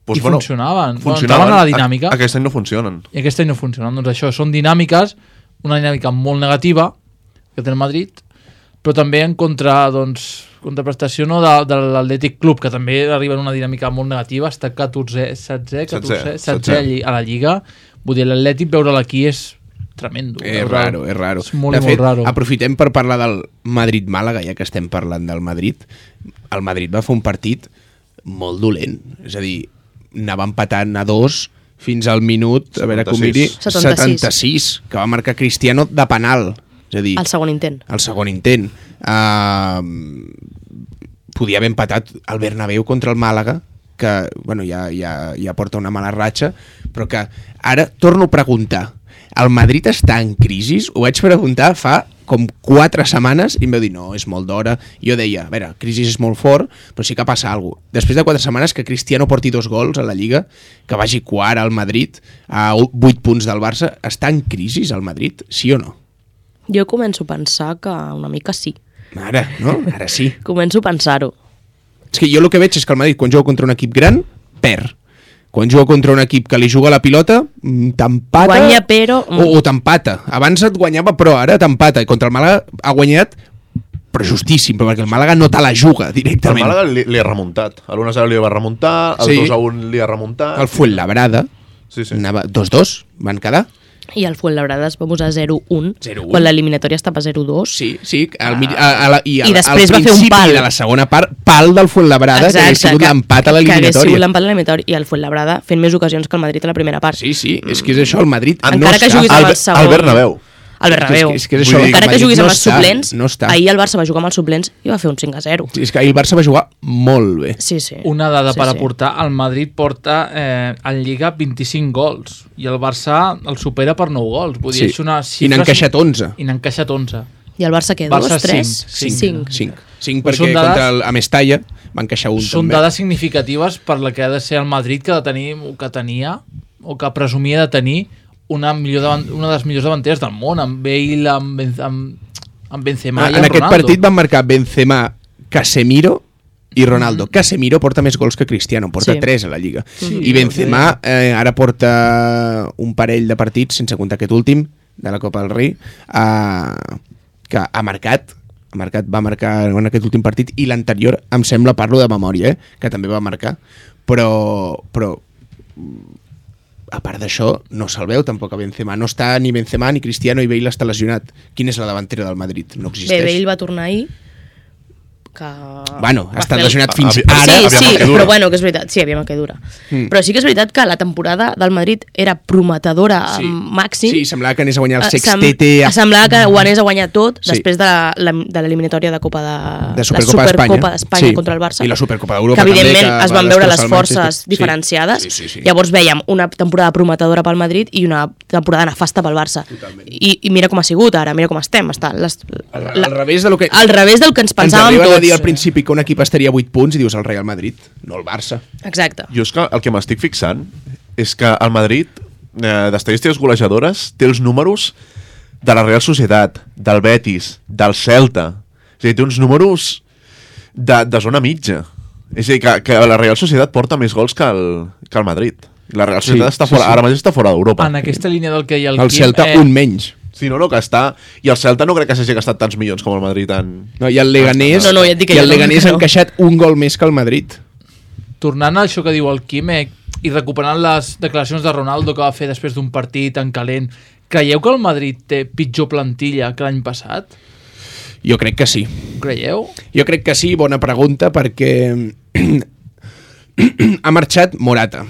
E: doncs,
D: i
E: bueno,
D: funcionaven,
E: funcionaven
D: bueno, a la dinàmica.
E: A, aquest any no funcionen.
D: I aquest any no funcionen. Doncs això, són dinàmiques, una dinàmica molt negativa que té el Madrid, però també en contra, doncs, contraprestació no, de, de l'Atlètic Club, que també arriba en una dinàmica molt negativa, està catorze, setze, catorze, setze a la Lliga. Vull dir, l'Atlètic veure-la aquí és tremendo.
B: És raro, és raro.
D: És molt,
B: de fet,
D: molt raro.
B: Aprofitem per parlar del Madrid-Màlaga, ja que estem parlant del Madrid. El Madrid va fer un partit molt dolent, és a dir, anava empatant a dos fins al minut, a veure com miri, setanta-sis, que va marcar Cristiano de penal. És a dir,
C: el segon intent.
B: El segon intent. Uh, podia haver empatat el Bernabéu contra el Màlaga, que bueno, ja, ja, ja porta una mala ratxa, però que ara torno a preguntar, el Madrid està en crisi? Ho vaig preguntar fa com quatre setmanes i em vau dir, no, és molt d'hora. Jo deia, a veure, crisi és molt fort, però sí que passa alguna cosa. Després de quatre setmanes que Cristiano porti dos gols a la Lliga, que vagi quart al Madrid, a vuit punts del Barça, està en crisi el Madrid, sí o no?
C: Jo començo a pensar que una mica sí.
B: Ara, no? Ara sí.
C: Començo a pensar-ho.
B: És que jo el que veig és que el Madrid, quan juga contra un equip gran, perd. Quan juga contra un equip que li juga la pilota, t'empata...
C: Guanya, però...
B: O, o t'empata. Abans et guanyava, però ara t'empata. I contra el Màlaga ha guanyat, però justíssim, perquè el Màlaga no te la juga directament.
E: El Màlaga li, li ha remuntat. A l'un a zero li va remuntar, el sí. dos a un li ha remuntat...
B: El Fuenlabrada, sí, sí. Anava dos dos, van quedar...
C: I el Fuenlabrada es va posar zero un, quan l'eliminatòria estava zero dos.
B: Sí, sí. Al, a, a la, I,
C: I
B: al,
C: després
B: al
C: va fer un pal.
B: de la segona part, pal del Fuenlabrada, Exacte, que hagués sigut l'empat a l'eliminatòria.
C: Que hagués sigut l'empat a l'eliminatòria. I el Fuenlabrada fent més ocasions que el Madrid a la primera part.
B: Sí, sí, és que és això, el Madrid
C: encara
B: no
C: que juguis amb el segon...
E: Al Bernabéu.
C: El Bernabéu.
B: És que, és que això,
C: encara que juguis
B: no
C: amb els
B: està,
C: suplents,
B: no està.
C: Ahir el Barça va jugar amb els suplents i va fer un cinc a zero.
B: Sí, és que ahir el Barça va jugar molt bé.
C: Sí, sí.
D: Una dada
C: sí,
D: per
C: sí.
D: aportar, el Madrid porta eh, en Lliga vint-i-cinc gols i el Barça el supera per nou gols. Vull dir,
B: sí.
D: és una xifra...
B: I n'ha encaixat onze.
D: I n'ha encaixat onze.
C: I el Barça què?
D: Barça
C: Dos, tres?
D: cinc.
C: Cinc.
B: Cinc. Cinc perquè dades, contra el Mestalla va encaixar un
D: són
B: també.
D: Són dades significatives per la que ha de ser el Madrid que, de tenir, que tenia o que presumia de tenir una, millor davant, una de les millors davanteres del món, amb Bale, amb, amb, amb Benzema ah, i amb
B: en aquest
D: Ronaldo.
B: partit van marcar Benzema, Casemiro i Ronaldo. Mm-hmm. Casemiro porta més gols que Cristiano, porta sí. tres a la Lliga. Sí, I Benzema eh, ara porta un parell de partits, sense comptar aquest últim, de la Copa del Rei, a... que ha marcat, ha marcat, va marcar en aquest últim partit, i l'anterior, em sembla, parlo de memòria, eh, que també va marcar, però, però a part d'això, no se'l veu tampoc a Benzema. No està ni Benzema ni Cristiano, i Bale està lesionat. Quina és la davantera del Madrid? No existeix.
C: Bé, Bale va tornar ahir, que...
B: Bueno, ha estat
C: fer...
B: lesionat fins
E: sí,
B: ara.
C: Sí,
E: aviam
C: sí,
E: que dura.
C: però bueno, que és veritat, sí, aviam que dura. Mm. Però sí que és veritat que la temporada del Madrid era prometedora
B: Sí.
C: màxim.
B: Sí, semblava que anés a guanyar el
C: Eh,
B: sextete.
C: sem- Semblava que ho anés a guanyar tot
B: Sí.
C: després de la- la- de l'eliminatòria de Copa de,
B: De Supercopa
C: la
B: d'Espanya.
C: Supercopa d'Espanya
B: Sí.
C: contra el Barça.
B: I la Supercopa d'Europa
C: que evidentment
B: també, que
C: es
B: va
C: van veure les
B: destrossar el
C: forces
B: Manchester. Sí.
C: diferenciades.
B: Sí, sí, sí.
C: Llavors vèiem una temporada prometedora pel Madrid i una temporada nefasta pel Barça. I, I mira com ha sigut ara, mira com estem. Està les,
B: Al, al revés de lo que...
C: al revés del que ens
B: Ens
C: pensàvem
B: arriben
C: tots.
B: a dir al principi que un equip estaria a vuit punts i dius el Real Madrid, no el Barça.
C: Exacte.
E: Jo és que el que m'estic fixant és que el Madrid, eh, d'estadístiques golejadores, té els números de la Real Societat, del Betis, del Celta. És a dir, té uns números de, de zona mitja. És a dir, que, que la Real Societat porta més gols que el, que el Madrid. La Real Societat
B: Sí,
E: està
B: sí,
E: fora,
B: sí.
E: ara mateix està fora d'Europa.
D: En aquesta línia del que hi ha el,
B: El
D: Quim,
B: Celta,
D: eh,
B: un menys.
E: Sí, no, no, que està... I el Celta no crec que s'hagi gastat tants milions com el Madrid en...
B: No, I el Leganés,
C: No, no, ja et dic que
B: i
C: jo
B: el
C: no,
B: Leganés
C: que
B: ha
C: no.
B: encaixat un gol més que el Madrid.
D: tornant a això que diu el Quim eh, i recuperant les declaracions de Ronaldo que va fer després d'un partit en calent, creieu que el Madrid té pitjor plantilla que l'any passat?
B: Jo crec que sí.
D: Ho creieu?
B: Jo crec que sí, bona pregunta, perquè ha marxat Morata,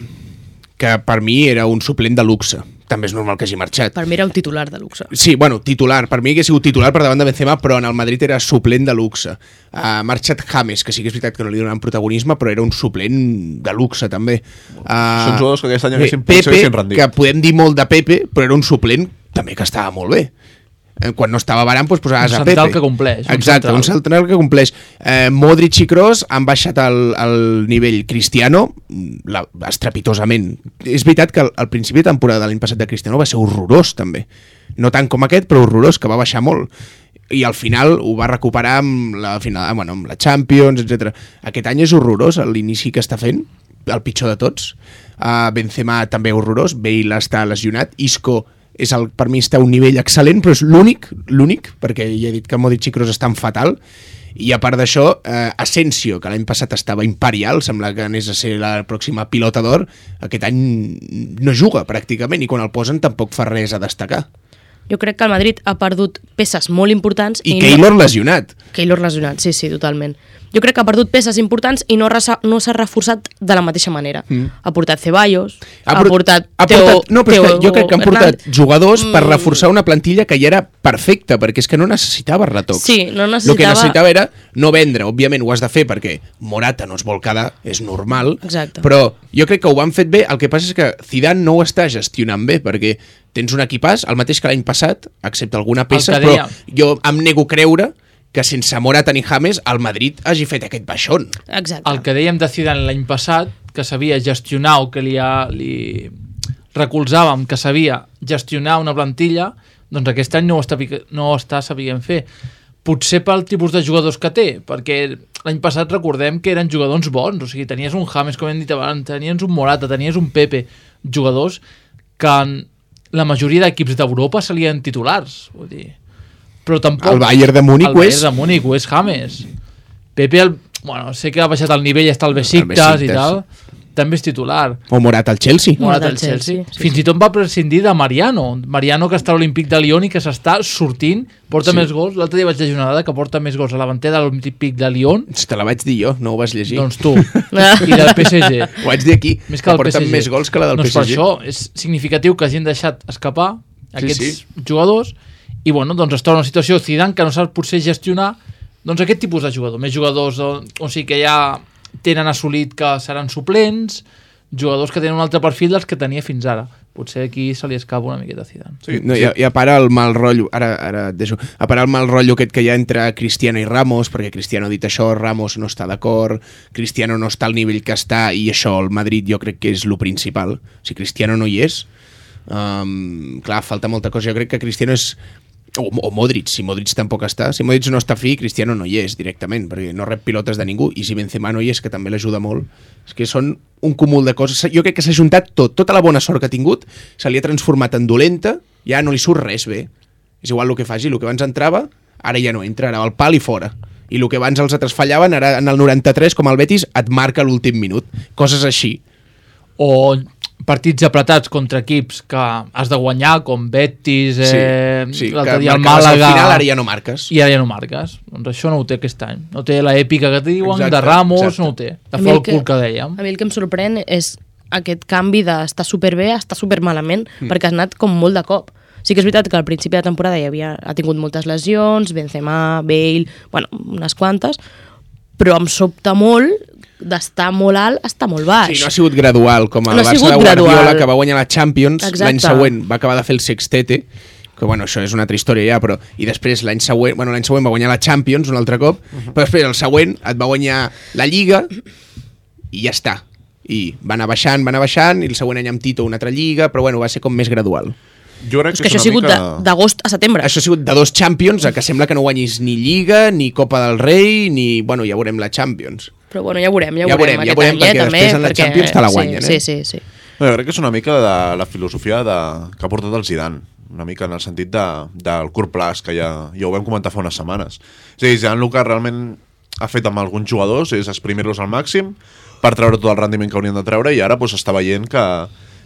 B: que per mi era un suplent de luxe. També és normal que hagi marxat.
C: Per mi era un titular de luxe.
B: Sí, bueno, titular. Per mi que ha sigut titular per davant de Benzema, però en el Madrid era suplent de luxe. Ha marxat James, que sí que és veritat que no li donaven protagonisme, però era un suplent de luxe, també. Uh,
E: Són jugadors que aquest any haguessin
B: Pepe,
E: haguessin rendit.
B: que podem dir molt de Pepe, però era un suplent també que estava molt bé. Eh, Quan no estava Varane, doncs posaves
D: Un
B: a Pepe.
D: central que compleix, un
B: Exacte,
D: central.
B: un central que compleix. Eh, Modric i Kroos han baixat el, el nivell. Cristiano, la, estrepitosament. És veritat que al, al principi de temporada de l'any passat de Cristiano va ser horrorós, també. No tant com aquest, però horrorós, que va baixar molt. I al final ho va recuperar amb la, final, bueno, amb la Champions, etcètera. Aquest any és horrorós, l'inici que està fent, el pitjor de tots. Uh, Benzema també horrorós, Bale està lesionat, Isco és el, per mi està a un nivell excel·lent, però és l'únic, l'únic, perquè ja he dit que Modric i Kroos estan fatal, i a part d'això, eh, Asensio, que l'any passat estava imperial, sembla que anés a ser la pròxima pilota d'or, aquest any no juga pràcticament, i quan el posen tampoc fa res a destacar.
C: Jo crec que el Madrid ha perdut peces molt importants.
B: I,
C: i
B: Keylor
C: no...
B: lesionat.
C: Keylor lesionat, sí, sí, totalment. Jo crec que ha perdut peces importants i no, resa, no s'ha reforçat de la mateixa manera. Mm. Ha portat Ceballos, ha, ha portat,
B: ha
C: Teo,
B: portat no, però
C: Teo
B: que jo crec que han portat
C: Hernández.
B: jugadors per
C: Mm.
B: reforçar una plantilla que ja era perfecta, perquè és que no necessitava retocs.
C: Sí, no
B: El que
C: necessitava...
B: necessitava era no vendre, òbviament ho has de fer perquè Morata no es vol quedar, és normal,
C: Exacte.
B: però jo crec que ho han fet bé, el que passa és que Zidane no ho està gestionant bé, perquè tens un equipàs, el mateix que l'any passat, excepte alguna peça,
D: que
B: però
D: deia.
B: jo em nego a creure que sense Morata ni James el Madrid hagi fet aquest baixón.
C: Exacte.
D: El que dèiem de Zidane l'any passat, que sabia gestionar o que li, ha, li recolzàvem, que sabia gestionar una plantilla, doncs aquest any no ho està, no ho està sabent fer. Potser pel tipus de jugadors que té, perquè l'any passat recordem que eren jugadors bons, o sigui, tenies un James, com hem dit abans, tenies un Morata, tenies un Pepe, jugadors que en la majoria d'equips d'Europa salien titulars, vull dir. Però tampoc...
B: El Bayern de Múnich
D: el
B: ho
D: Bayern
B: és.
D: de Múnich ho és James. Pepe, el, bueno, sé que ha baixat el nivell, està al Besiktas i tal, també és titular.
B: O Morata al Chelsea.
D: Morata
C: Morata
D: al
C: al
D: Chelsea.
C: Chelsea, sí,
D: Fins i tot va prescindir de Mariano. Mariano, que està a l'Olímpic de Lyon i que s'està sortint, porta
B: Sí.
D: més gols. L'altre dia vaig llegir una dada que porta més gols a l'avantera de l'Olímpic de Lyon.
B: Te la vaig dir jo, no ho vas llegir.
D: Doncs tu. I del P S G.
B: Ho vaig dir aquí,
D: Més
B: que
D: que el
B: porten
D: P S G.
B: més gols que la del
D: doncs
B: P S G.
D: Per això és significatiu que hagin deixat escapar aquests
B: Sí,
D: sí, sí. jugadors i bueno, doncs es troba una situació Zidane que no sap potser gestionar doncs aquest tipus de jugador. Més jugadors o, o sigui que ja tenen assolit que seran suplents, jugadors que tenen un altre perfil dels que tenia fins ara. Potser aquí se li escapa una miqueta a Zidane.
B: Sí, no, sí. I, I a part el mal rotllo, ara, ara et deixo, a part el mal rotllo aquest que hi ha entre Cristiano i Ramos, perquè Cristiano ha dit això, Ramos no està d'acord, Cristiano no està al nivell que està, i això, el Madrid jo crec que és lo principal. Si Cristiano no hi és, um, clar, falta molta cosa. Jo crec que Cristiano és... O, o Modric, si Modric tampoc està. Si Modric no està fi, Cristiano no hi és directament, perquè no rep pilotes de ningú, i si Benzema no hi és, que també l'ajuda molt. És que són un cúmul de coses. Jo crec que s'ha juntat tot, tota la bona sort que ha tingut, se li ha transformat en dolenta, ja no li surt res bé. És igual el que faci, el que abans entrava, ara ja no entra, ara va al pal i fora. I el que abans els altres fallaven, ara en el noranta-tres, com el Betis, et marca l'últim minut. Coses així.
D: O partits apretats contra equips que has de guanyar, com Betis, eh,
B: sí, sí,
D: l'altre
B: que
D: dia el
B: marcaves
D: Màlaga...
B: al final, ara ja no marques.
D: I ara ja no marques. Doncs això no ho té aquest any. No té l'èpica que diuen,
B: Exacte,
D: de Ramos,
B: exacte.
D: no ho té. De
C: A mi el
D: Folcul que dèiem.
C: A mi el que em sorprèn és aquest canvi d'estar superbé a estar supermalament,
B: Mm.
C: perquè has anat com molt de cop. Sí que és veritat que al principi de temporada hi havia, ha tingut moltes lesions, Benzema, Bale, bueno, unes quantes, però em sobta molt d'estar molt alt a estar molt baix.
B: Sí, no ha sigut gradual, com el
C: No ha
B: Barça
C: sigut
B: de Guardiola,
C: gradual.
B: que va guanyar la Champions,
C: Exacte.
B: l'any següent va acabar de fer el sextete, que bueno, això és una altra història ja, però i després l'any següent, bueno, l'any següent va guanyar la Champions un altre cop, uh-huh. però després el següent et va guanyar la Lliga i ja està. I va anar baixant, va anar baixant, i el següent any amb Tito una altra Lliga, però bueno, va ser com més gradual.
E: Jo crec
C: És que això ha sigut mica... d'agost a setembre.
B: Això ha sigut de dos Champions, a que sembla que no guanyis ni Lliga, ni Copa del Rei, ni... Bueno, ja veurem la Champions.
C: Però bueno, ja veurem, ja,
B: Ja
C: veurem,
B: veurem, ja
C: aquest
B: veurem,
C: any,
B: perquè
C: eh, també,
B: després en la Champions te la guanyen,
C: sí,
B: eh?
C: Sí, sí, sí.
E: No, jo crec que és una mica de la filosofia de... que ha portat el Zidane, una mica en el sentit de, del curt plaç, que ja, ja ho vam comentar fa unes setmanes. És a dir, Zidane el que realment ha fet amb alguns jugadors és exprimir-los al màxim per treure tot el rendiment que haurien de treure, i ara pues, està veient que,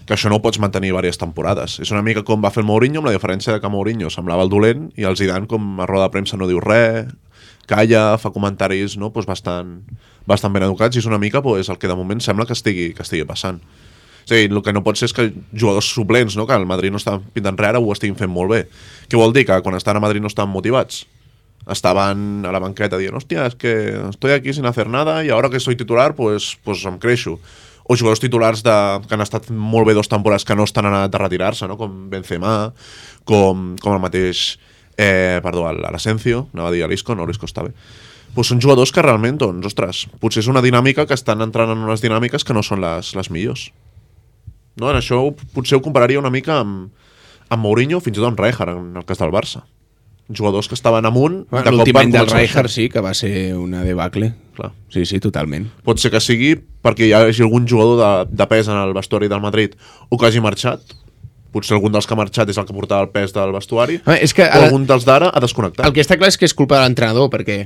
E: que això no ho pots mantenir diverses temporades. És una mica com va fer el Mourinho, amb la diferència de que Mourinho semblava el dolent i el Zidane, com a roda de premsa, no diu res, calla, fa comentaris no, pues bastant, bastant ben educats, i és una mica pues, el que de moment sembla que estigui, que estigui passant. És a dir, el que no pot ser és que jugadors suplents, no, que el Madrid no està pintant res, ara ho estiguin fent molt bé. Què vol dir? Que quan estan a Madrid no estan motivats? Estaven a la banqueta dient, hòstia, és que estoy aquí sin hacer nada y ahora que soy titular, pues, pues em creixo. O jugadors titulars de, que han estat molt bé dos temporades que no estan anat de retirar-se, no? Com Benzema, com, com el mateix eh, perdó, l'Asensio, anava a dir l'Isco, no, l'Isco està bé. Pues són jugadors que realment, doncs, ostres, potser és una dinàmica que estan entrant en unes dinàmiques que no són les, les millors. No? En això potser ho compararia una mica amb, amb Mourinho, fins i tot amb Rijkaard, en el cas del Barça. Jugadors que estaven amunt...
B: Bueno, l'últim any del Rijkaard sí que va ser una debacle. Clar. Sí, sí, totalment.
E: Pot ser que sigui perquè hi hagi algun jugador de, de pes en el vestuari del Madrid o que hagi marxat. Potser algun dels que ha marxat és el que portava el pes del vestuari.
B: Ah, és que
E: o algun dels d'ara ha desconnectat.
B: El que està clar és que és culpa de l'entrenador, perquè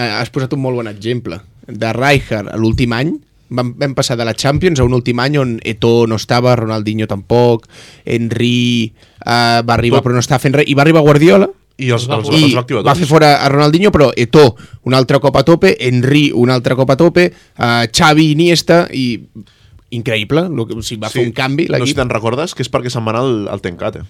B: has posat un molt bon exemple. De Rijkaard a l'últim any, vam, vam passar de la Champions a un últim any on Eto'o no estava, Ronaldinho tampoc, Henry uh, va arribar
E: Tot.
B: però no estava fent res, i va arribar Guardiola
E: i els, els,
B: i
E: els va activar
B: va
E: tots.
B: fer fora a Ronaldinho, però Eto'o un altre cop a tope, Henry un altre cop a tope, uh, Xavi, Iniesta, i increïble, lo que, o sigui, va sí, fer un canvi
E: no sé
B: l'equip.
E: si te'n recordes que és perquè se'n va anar al, al Tenkate,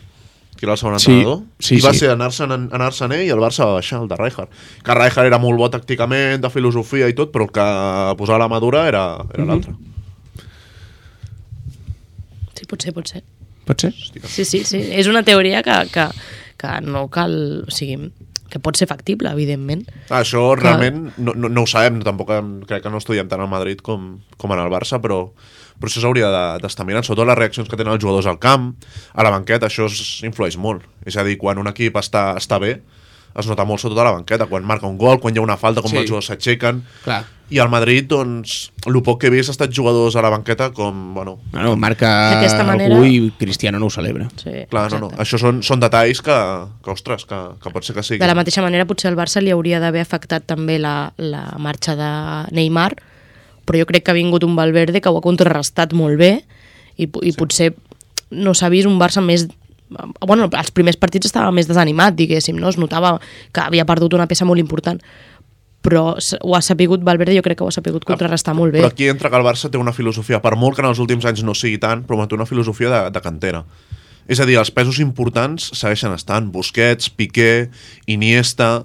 E: que era el segon
B: Sí,
E: entrenador,
B: sí,
E: i va
B: sí.
E: ser anar-se'n anar-se'n ell i el Barça va baixar, el de Rijkaard. Que Rijkaard era molt bo tàcticament, de filosofia i tot, però el que posava la madura era, era
B: Mhm.
E: l'altre.
C: Sí, potser, potser.
B: Pot ser?
C: Sí, sí, sí. És una teoria que, que, que no cal... O sigui, que pot ser factible, evidentment.
E: Ah, això realment no, no, no ho sabem, tampoc em, crec que no estudiem tant al Madrid com, com en el Barça, però, però això s'hauria de- d'estar mirant, sobretot les reaccions que tenen els jugadors al camp, a la banqueta, això es, influeix molt. És a dir, quan un equip està, està bé, es nota molt sobretot a la banqueta, quan marca un gol, quan hi ha una falta, com
B: Sí.
E: els jugadors s'aixequen.
B: Clar.
E: I al Madrid, doncs, el poc que he vist ha estat jugadors a la banqueta com, bueno...
B: Bueno, marca
C: D'aquesta manera-
B: algú i Cristiano no ho celebra.
C: Sí,
E: Clar, no, no, això són, són detalls que, que ostres, que, que pot ser que sigui.
C: De la mateixa manera, potser al Barça li hauria d'haver afectat també la, la marxa de Neymar, però jo crec que ha vingut un Valverde que ho ha contrarrestat molt bé i, i sí. potser no s'ha vist un Barça més... Bueno, els primers partits estava més desanimat, diguéssim, no? Es notava que havia perdut una peça molt important, però ho ha sapigut Valverde, jo crec que ho ha sapigut contrarrestar molt bé.
E: Però aquí entra que el Barça té una filosofia, per molt que en els últims anys no sigui tant, però manté una filosofia de, de cantera. És a dir, els pesos importants segueixen estant. Busquets, Piqué, Iniesta,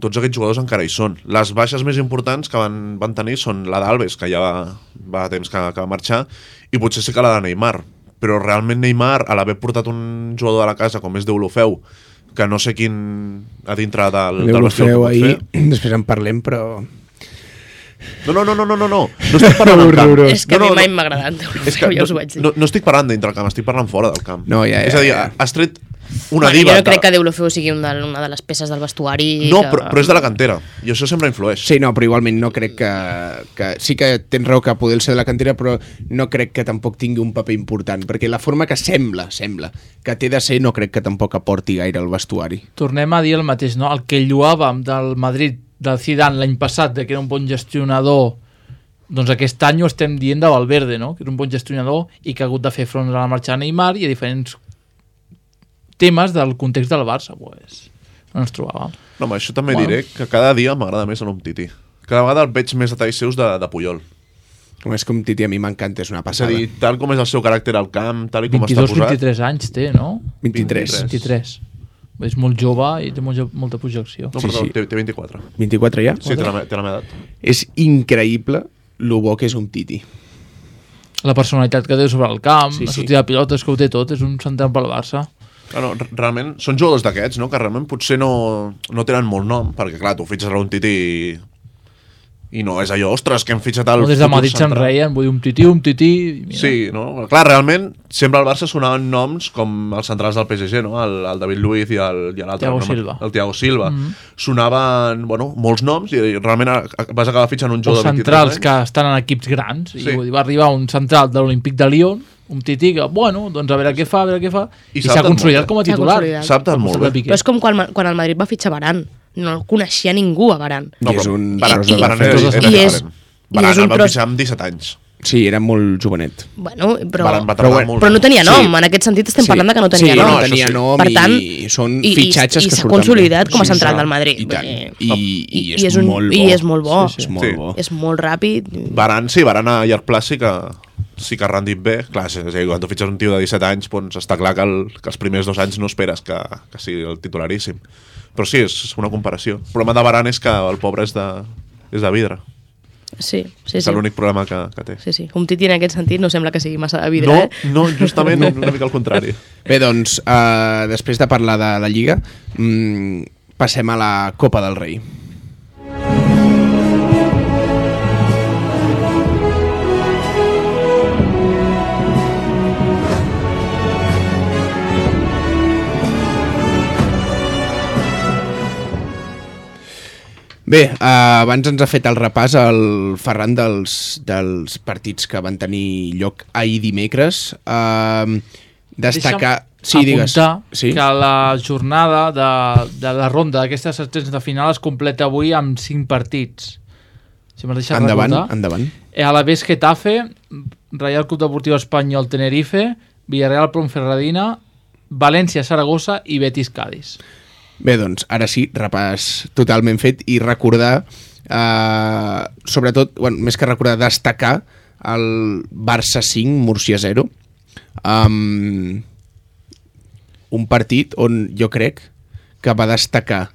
E: tots aquests jugadors encara hi són. Les baixes més importants que van, van tenir són la d'Alves, que ja va, va a temps que, que va marxar, i potser sí que la de Neymar. Però realment Neymar, a l'haver portat un jugador de la casa com és Deulofeu, que no sé quin a dintre del, del vestit
B: Deulofeu ahir, després en parlem, però...
E: No, no, no, no, no, no, no. No estic parlant del camp.
C: És que
E: no,
C: a mi
E: no,
C: mai
E: no.
C: m'ha agradat,
E: És que
C: ja us ho
E: no,
C: vaig dir.
E: no, no estic parlant dintre del camp, estic parlant fora del camp.
B: No, ja, ja,
E: és a dir,
B: ja.
E: has tret una
C: bueno,
E: diva.
C: Jo no crec
E: de...
C: que Deulofeu sigui una de, una de les peces del vestuari.
E: No,
C: que...
E: però, però és de la cantera, i això sempre influeix.
B: Sí, no, però igualment no crec que, que... Sí que tens raó que poder ser de la cantera, però no crec que tampoc tingui un paper important, perquè la forma que sembla, sembla, que té de ser, no crec que tampoc aporti gaire al vestuari.
D: Tornem a dir el mateix, no? El que lluàvem del Madrid, del Zidane l'any passat, de que era un bon gestionador, doncs aquest any ho estem dient de Valverde, no? Que és un bon gestionador i que ha hagut de fer front a la marxa de Neymar i a diferents temes del context del Barça, pues, no ens trobàvem.
E: No, home, això també
D: Bueno.
E: diré que cada dia m'agrada més l'Umtiti. Cada vegada el veig més detalls seus de, de Puyol.
B: És que un Titi a mi m'encanta, és una
E: És a
B: passada.
E: dir, tal com és el seu caràcter al camp, tal i com
D: vint-i-dos
E: està posat...
D: vint-i-tres anys té, no?
B: vint-i-tres.
D: vint-i-tres. És molt jove i té molt, molta projecció.
E: No,
B: Sí,
E: perdó,
B: sí.
E: té, té vint-i-quatre.
B: vint-i-quatre ja?
E: Sí, té la, me- té la meva edat.
B: És increïble lo bo que és un Titi.
D: La personalitat que té sobre el camp,
B: Sí,
D: la
B: sí.
D: sortida de pilotes que ho té tot, és un central pel Barça.
E: Ah, no, re- realment, són jugadors d'aquests, no? Que realment potser no, no tenen molt nom, perquè clar, tu fitxes a un Titi i, i no és allò, ostres, que hem fitxat el
D: No, des de
E: futur
D: Madrid se'n
E: central.
D: reien, vull dir, un tití, un tití... i Mira.
E: Sí, no? Clar, realment, sempre al Barça sonaven noms com els centrals del P S G, no? El, el David Luiz i el- i l'altre.
D: Thiago
E: no?
D: Silva.
E: El Thiago Silva.
D: Mhm.
E: Sonaven, bueno, molts noms i realment a- a- vas acabar fitxant un
D: O
E: jugador de vint-i-tres
D: centrals
E: anys.
D: que estan en equips grans.
E: Sí.
D: I vull dir, va arribar un central de l'Olímpic de Lyon, un tití que, bueno, doncs a veure què fa, a veure què fa,
E: I
D: i
E: s'ha
D: s'ha
E: adaptat
D: consolidat
E: molt bé.
D: com a
C: S'ha
D: titular.
C: consolidat.
E: S'ha adaptat molt bé.
C: Però és com quan, quan el Madrid va fitxar Varane. No el coneixia ningú, a Varane.
E: No,
B: I és
E: però
B: un
E: Varane,
B: tros de
E: Varane
B: defensa.
E: era, era
C: I és-
E: diferent.
C: i és
E: Varane
C: un
E: el va
C: tros-
E: fitxar amb disset anys.
B: Sí, era molt jovenet.
C: Bueno, però,
E: Varane va
B: Però
E: tardar
B: bueno,
E: molt.
C: però no tenia
B: Sí.
C: nom. En aquest sentit estem
B: Sí.
C: parlant de que no tenia
B: sí,
C: nom.
B: no
E: això
B: tenia
E: sí.
B: nom
C: Per tant,
B: i són
C: i- i-
B: fitxatges
C: i
B: que
C: s'ha
B: surten
C: consolidat
B: bé.
C: com a
B: Sí,
C: central
B: sí.
C: del Madrid.
B: I tant.
C: Vull
B: I, i,
C: I
B: és,
C: és un-
B: molt bo.
C: i és molt bo.
B: És molt
E: Sí.
B: bo.
C: És molt ràpid.
E: Varane, sí, Varane a llarg plaç sí que, sí que ha rendit bé. Clar, és a dir, quan tu fitxes un tio de disset anys, doncs està clar que, el, que els primers dos anys no esperes que, que sigui el titularíssim. Però sí, és una comparació. El problema de Varane és que el pobre és de, és de vidre.
C: Sí, sí,
E: És
C: sí.
E: l'únic problema que, que té.
C: Sí, sí. Un tití en aquest sentit no sembla que sigui massa de vidre,
E: No,
C: eh?
E: no, justament una mica al contrari.
B: Bé, doncs, uh, després de parlar de la Lliga, mm, passem a la Copa del Rei. Bé, uh, abans ens ha fet el repàs el Ferran dels, dels partits que van tenir lloc ahir dimecres. Uh, destacar... Sí, digues.
D: apuntar
B: Sí?
D: que la jornada de, de la ronda d'aquestes setzents de final es completa avui amb cinc partits. Si m'has deixat
B: Endavant,
D: recordar.
B: endavant.
D: Eh, Alavés Getafe, Real Club Deportiu Espanyol Tenerife, Villarreal Ponferradina, València Saragossa i Betis Cádiz.
B: Bé, doncs, ara sí, repàs totalment fet i recordar, eh, sobretot, bueno, més que recordar, destacar el Barça cinc, Múrcia zero. Um, un partit on jo crec que va destacar,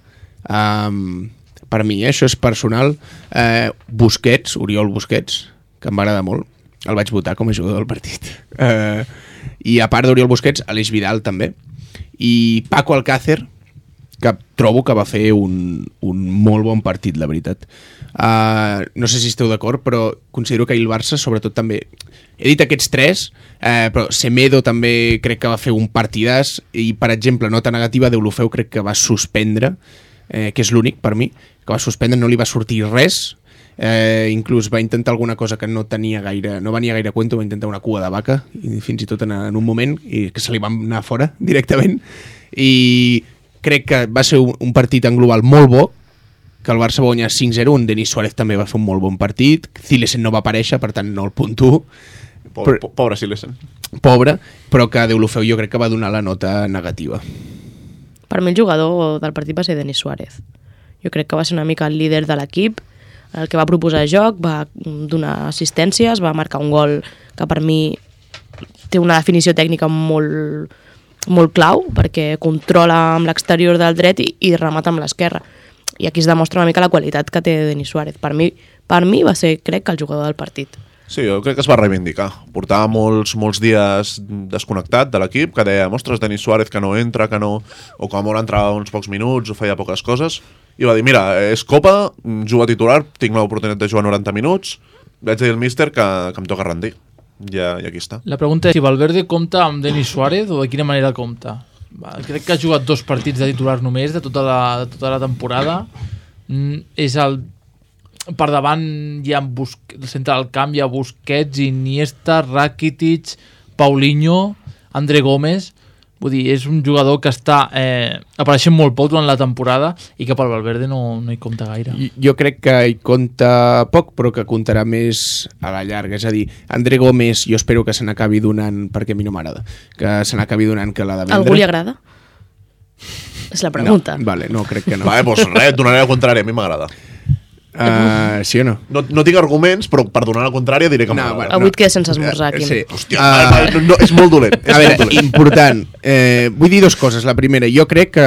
B: um, per mi, eh, això és personal, eh, Busquets, Oriol Busquets, que em va agradar molt. El vaig votar com a jugador del partit. Eh, I a part d'Oriol Busquets, Aleix Vidal també. I Paco Alcácer, que trobo que va fer un, un molt bon partit, la veritat. Uh, no sé si esteu d'acord, però considero que ahir el Barça, sobretot també... He dit aquests tres, eh, però Semedo també crec que va fer un partidàs i, per exemple, nota negativa, Deulofeu crec que va suspendre, eh, que és l'únic per mi, que va suspendre, no li va sortir res, eh, inclús va intentar alguna cosa que no tenia gaire, no venia gaire a cuento, va intentar una cua de vaca, i fins i tot en, en un moment, i que se li va anar fora directament, i crec que va ser un, un partit en global molt bo, que el Barça va guanyar cinc zero, on Denis Suárez també va fer un molt bon partit, Zilesen no va aparèixer, per tant no el puntuo,
E: Pobre, po- pobre Silesen.
B: pobre, però que Deulofeu jo crec que va donar la nota negativa.
C: Per mi el jugador del partit va ser Denis Suárez. Jo crec que va ser una mica el líder de l'equip, el que va proposar joc, va donar assistències, va marcar un gol que per mi té una definició tècnica molt, molt clau, perquè controla amb l'exterior del dret i, i remata amb l'esquerra. I aquí es demostra una mica la qualitat que té Denis Suárez. Per mi, per mi va ser, crec, que el jugador del partit.
E: Sí, jo crec que es va reivindicar. Portava molts, molts dies desconnectat de l'equip, que deia, ostres, Denis Suárez que no entra, que no... o com a molt entrava uns pocs minuts o feia poques coses, i va dir, mira, és Copa, jugo a titular, tinc l'oportunitat de jugar noranta minuts, vaig dir al míster que, que em toca rendir. I, I aquí està.
D: La pregunta és si Valverde compta amb Denis Suárez o de quina manera compta? crec que ha jugat dos partits de titular només de tota la, de tota la temporada. Mm, és el per davant hi ha Bus... al centre del camp hi ha Busquets, Iniesta, Rakitic, Paulinho, André Gómez. Vull dir, és un jugador que està eh, apareixent molt poc durant la temporada i que pel Valverde no, no hi compta gaire.
B: Jo crec que hi compta poc, però que comptarà més a la llarga. És a dir, André Gómez jo espero que se n'acabi donant, perquè a mi no m'agrada, que se n'acabi donant que l'ha de vendre.
C: Algú li agrada? És la pregunta.
B: No, vale, no, crec que no.
E: Vale, doncs res, et donaré el contrari, a mi m'agrada.
B: Uh, sí o no?
E: no? No tinc arguments, però per donar la contrària diré que m'agrada.
C: No, bueno, Avui et quedes sense esmorzar, Quim.
B: Sí.
E: Hòstia, uh, no, no, és molt dolent. És
B: a veure,
E: molt dolent.
B: important. Eh, vull dir dues coses. La primera, jo crec que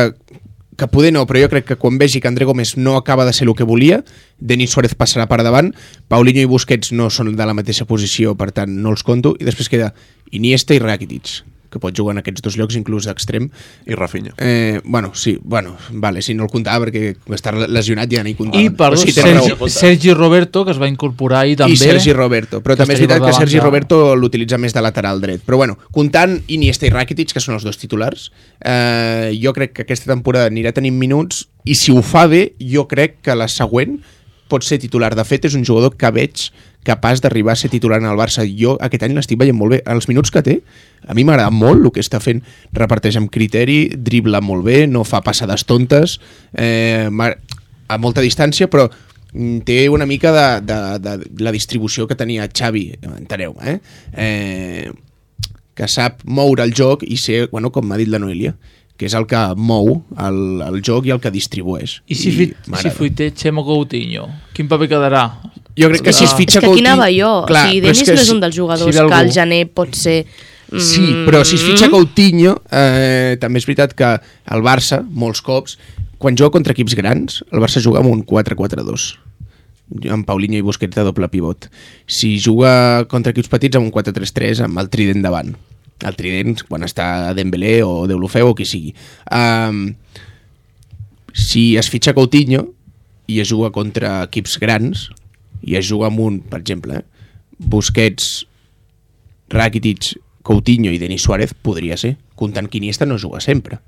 B: que poder no, però jo crec que quan vegi que André Gómez no acaba de ser el que volia, Denis Suárez passarà per davant, Paulinho i Busquets no són de la mateixa posició, per tant no els conto, i després queda Iniesta i Rakitic, que pot jugar en aquests dos llocs, inclús d'extrem.
E: I Rafinha.
B: Eh, bueno, sí, bueno, vale, si no el comptava perquè està lesionat ja no hi comptava.
D: I, perdó,
B: sí,
D: Sergi, Sergi Roberto, que es va incorporar ahir també.
B: I Sergi Roberto, però també és veritat que Sergi Roberto l'utilitza més de lateral dret. Però bueno, comptant Iniesta i Rakitic, que són els dos titulars, eh, jo crec que aquesta temporada anirà tenint minuts, i si ho fa bé, jo crec que la següent pot ser titular. De fet, és un jugador que veig capaç d'arribar a ser titular en el Barça. Jo aquest any l'estic veient molt bé. Els minuts que té, a mi m'agrada molt el que està fent. Reparteix amb criteri, dribla molt bé, no fa passades tontes, eh, a molta distància, però té una mica de, de, de la distribució que tenia Xavi, enteneu, eh? eh? que sap moure el joc i ser, bueno, com m'ha dit la Noelia, que és el que mou el, el joc i el que distribueix.
D: I si, I si fuité Chemo Coutinho, quin paper quedarà?
B: Jo crec que si es fitxa
C: Coutinho... És que aquí
B: Coutinho...
C: anava jo. Clar, o sigui, Denis no és un dels jugadors si que al gener pot ser... Mm...
B: Sí, però si es fitxa Coutinho, eh, també és veritat que el Barça, molts cops, quan juga contra equips grans, el Barça juga amb un quatre quatre dos, amb Paulinho i Busquets de doble pivot. Si juga contra equips petits, amb un quatre tres tres, amb el trident davant. El trident quan està Dembélé o Deulofeu o qui sigui. Um, si es fitxa Coutinho i es juga contra equips grans i es juga amb un, per exemple, eh, Busquets, Rakitic, Coutinho i Denis Suárez, podria ser, comptant que Iniesta no juga sempre.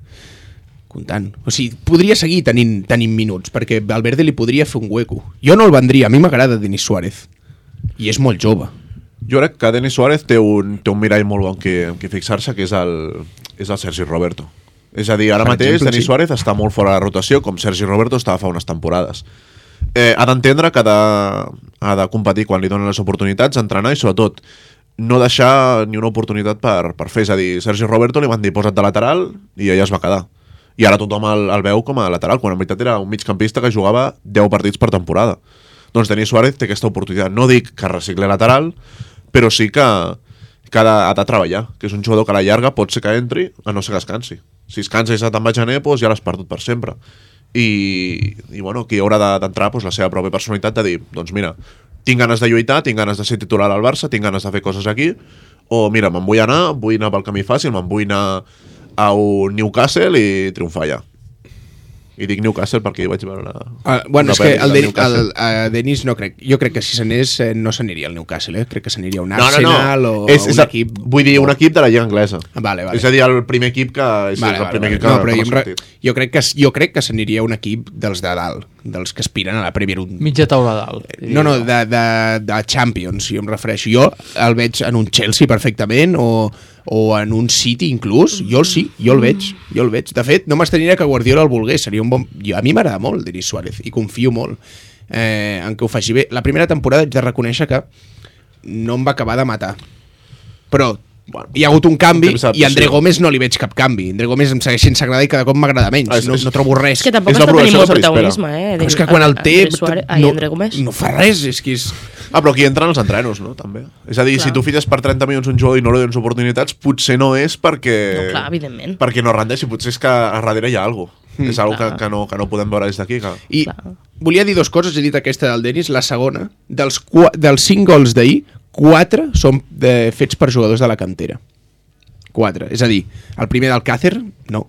B: Comptant. O sigui, podria seguir tenint, tenint minuts, perquè Valverde li podria fer un hueco. Jo no el vendria, a mi m'agrada Denis Suárez. I és molt jove.
E: Jo crec que Denis Suárez té un, té un mirall molt bon que, que fixar-se, que és el, és el Sergi Roberto. És a dir, ara per mateix exemple, Denis sí. Suárez està molt fora de la rotació, com Sergi Roberto estava fa unes temporades. Eh, ha d'entendre que ha de, ha de competir quan li donen les oportunitats, entrenar i sobretot no deixar ni una oportunitat per, per fer. És a dir, Sergi Roberto li van dir posa't de lateral i ella es va quedar. I ara tothom el, el veu com a lateral, quan en veritat era un migcampista que jugava deu partits per temporada. Doncs Denis Suárez té aquesta oportunitat. No dic que recicli lateral, però sí que, que ha, de, ha de treballar, que és un jugador que a la llarga pot ser que entri, a no ser que es cansi. Si es cansa i se'n va a gener, doncs ja l'has perdut per sempre. I, i bueno, aquí haurà d'entrar doncs, la seva pròpia personalitat de dir, doncs mira, tinc ganes de lluitar, tinc ganes de ser titular al Barça, tinc ganes de fer coses aquí, o mira, me'n vull anar, vull anar pel camí fàcil, me'n vull anar a un Newcastle i triomfar allà. I dic Newcastle perquè hi vaig veure una...
B: Uh, bueno, és que el, de, el, el Denis no crec... Jo crec que si s'anés eh, no s'aniria al Newcastle, eh? Crec que s'aniria a un Arsenal no, no, no. o
E: és,
B: un
E: és,
B: equip...
E: Vull dir, un equip de la Lliga Anglesa.
B: Vale, vale.
E: És a dir, el primer equip que... És
B: vale,
E: el
B: vale,
E: primer
B: vale.
E: equip que,
B: no, però
E: que
B: jo, re... jo crec que jo crec que s'aniria a un equip dels de dalt, dels que aspiren a la Premier. Un...
D: Mitja taula dalt.
B: No, no, de, de, de Champions, jo em refereixo. Jo el veig en un Chelsea perfectament, o... o en un City inclús, jo el sí, jo el veig, jo el veig. De fet, no m'estranyaria que Guardiola el volgués, seria un bon... Jo, a mi m'agrada molt Denis Suárez i confio molt eh, en que ho faci bé. La primera temporada haig de reconèixer que no em va acabar de matar, però bueno, hi ha hagut un canvi i a André Gómez no li veig cap canvi. André Gómez em segueix sense agradar i cada cop m'agrada menys. Ah, és, no, no trobo res.
C: És que tampoc està tenint molt protagonisme, eh?
B: Però és que quan el té
C: Ai,
B: no,
C: André Gómez
B: no fa res, és que és...
E: Ah, però aquí entren els entrenos, no? També. És a dir, clar, si tu fites per trenta milions un jugador i no li dones oportunitats, potser no és perquè...
C: No, clar, evidentment.
E: Perquè no rendeixi, potser és que a darrere hi ha alguna cosa. Mm, és alguna que, que, no, que no podem veure des d'aquí. Que...
B: I clar, volia dir dues coses, he dit aquesta del Denis, la segona, dels, dels cinc gols d'ahir, quatre són de, fets per jugadors de la cantera. Quatre. És a dir, el primer del Càcer, no.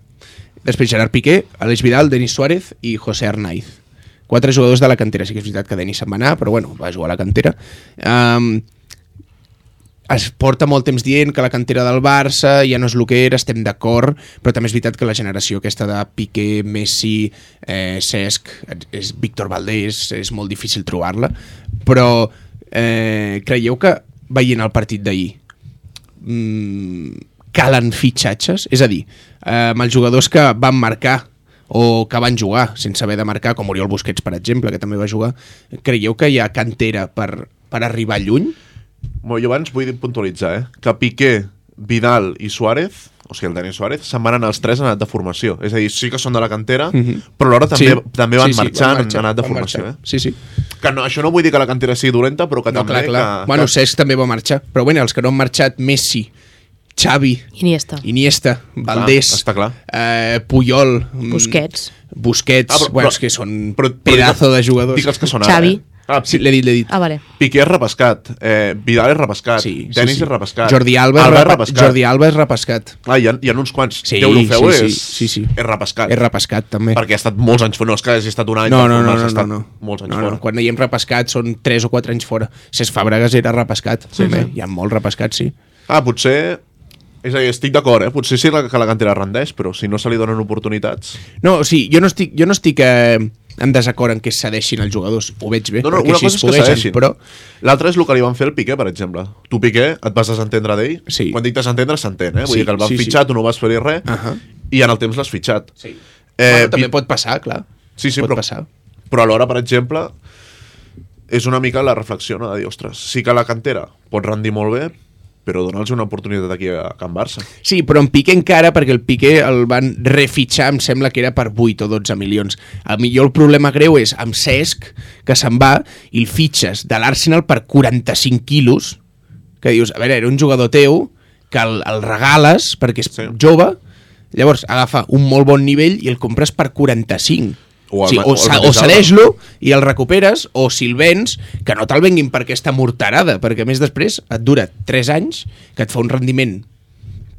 B: Després Gerard Piqué, Aleix Vidal, Denis Suárez i José Arnaiz. Quatre jugadors de la cantera. Sí que és veritat que Denis se'n va anar, però bueno, va jugar a la cantera. Um, es porta molt temps dient que la cantera del Barça ja no és el que era, estem d'acord, però també és veritat que la generació aquesta de Piqué, Messi, eh, Cesc, és Víctor Valdés, és molt difícil trobar-la, però eh, creieu que veient el partit d'ahir mmm, calen fitxatges? És a dir, eh, amb els jugadors que van marcar o que van jugar sense haver de marcar, com Oriol Busquets, per exemple, que també va jugar, creieu que hi ha cantera per, per arribar lluny?
E: Bueno, jo abans vull puntualitzar eh, que Piqué, Vidal i Suárez, o sigui, el Dani Suárez, se'n van anar els tres en edat de formació. És a dir, sí que són de la cantera, mm-hmm. però alhora també, sí. també van sí, sí, marxar en edat de formació. Eh?
B: Sí, sí.
E: Que no, això no vull dir que la cantera sigui dolenta, però que
B: no,
E: també...
B: Clar, clar.
E: Que,
B: bueno,
E: que...
B: Cesc també va marxar, però bueno, els que no han marxat, Messi, Xavi,
C: Iniesta,
B: Iniesta Valdés,
E: clar, està clar.
B: Eh, Puyol,
C: Busquets,
B: Busquets,
E: ah, però,
B: bueno,
E: però,
B: és que són
E: però,
B: pedazo de jugadors.
E: Dic els que són
C: Xavi.
E: ara, eh? Ah,
B: sí, l'he dit, l'he dit.
C: Ah, vale.
E: Piqué és repescat, eh, Vidal és repescat,
B: sí, sí,
E: Denis
B: sí.
E: és repescat,
B: Jordi Alba,
E: Alba és
B: repa
E: repescat.
B: Jordi Alba és repescat.
E: Ah, hi ha, hi ha uns quants.
B: Sí,
E: Deulofeu
B: sí, sí,
E: és,
B: sí, sí.
E: és repescat.
B: És repescat, també.
E: Perquè ha estat molts anys fora, no és que hagi estat un any,
B: no, no, no,
E: ha
B: no,
E: estat
B: no, no.
E: molts anys
B: no,
E: fora.
B: No. Quan diem repescat són tres o quatre anys fora. Cesc Fàbregas era repescat, sí, també. Sí. Hi ha molt repescat, sí.
E: Ah, potser... És a dir, estic d'acord, eh? Potser sí que la cantera rendeix, però si no se li donen oportunitats...
B: No, o sigui, jo no estic, jo no estic eh, en desacord en que cedeixin els jugadors. Ho veig bé,
E: no, no,
B: perquè
E: una
B: així
E: cosa
B: es
E: és que cedeixin,
B: però...
E: L'altre és el que li van fer al Piqué, per exemple. Tu, Piqué, et vas desentendre d'ell?
B: Sí.
E: Quan dic desentendre, s'entén, eh? Vull
B: sí,
E: dir que el van
B: sí,
E: fitxar,
B: sí.
E: tu no vas fer-hi res,
B: uh -huh.
E: i en el temps l'has fitxat.
B: Sí.
E: Eh,
B: bueno, també pot passar, clar.
E: Sí, sí,
B: pot
E: però,
B: passar.
E: però alhora, per exemple, és una mica la reflexió, no? De dir, ostres, sí que la cantera pot rendir molt bé, però dona'ls una oportunitat aquí a Can Barça.
B: Sí, però en Piqué encara, perquè el Piqué el van refitxar, em sembla que era per vuit o dotze milions. A millor el problema greu és amb Cesc, que se'n va, i el fitxes de l'Arsenal per quaranta-cinc quilos, que dius, a veure, era un jugador teu, que el, el regales perquè és sí. jove, llavors agafa un molt bon nivell i el compres per quaranta-cinc. O, el, sí, o, o, o cedeix-lo i el recuperes, o si el vens, que no te'l venguin per aquesta morterada, perquè a més després et dura tres anys, que et fa un rendiment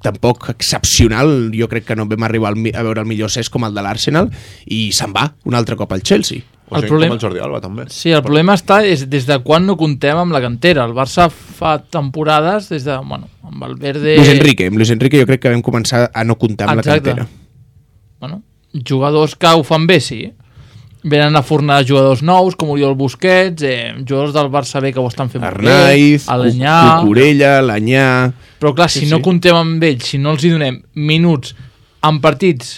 B: tampoc excepcional. Jo crec que no vam arribar a veure el millor Cesc com el de l'Arsenal, i se'n va un altre cop al Chelsea.
E: O sigui, el problema... com el Jordi Alba, també.
D: Sí, el problema està és des de quan no contem amb la cantera. El Barça fa temporades des de, bueno, amb el Verde...
B: Luis Enrique, amb Luis Enrique jo crec que vam començar a no comptar amb
D: Exacte.
B: la cantera.
D: Bueno, jugadors que ho fan bé, sí. Venen a fornar jugadors nous, com Oriol Busquets, eh, jugadors del Barça B que ho estan fent
B: Arnaiz,
D: bé, Alenyà...
B: Cucurella, l'Anyà...
D: Però clar, si
B: sí,
D: no
B: sí.
D: contem amb ells, si no els hi donem minuts en partits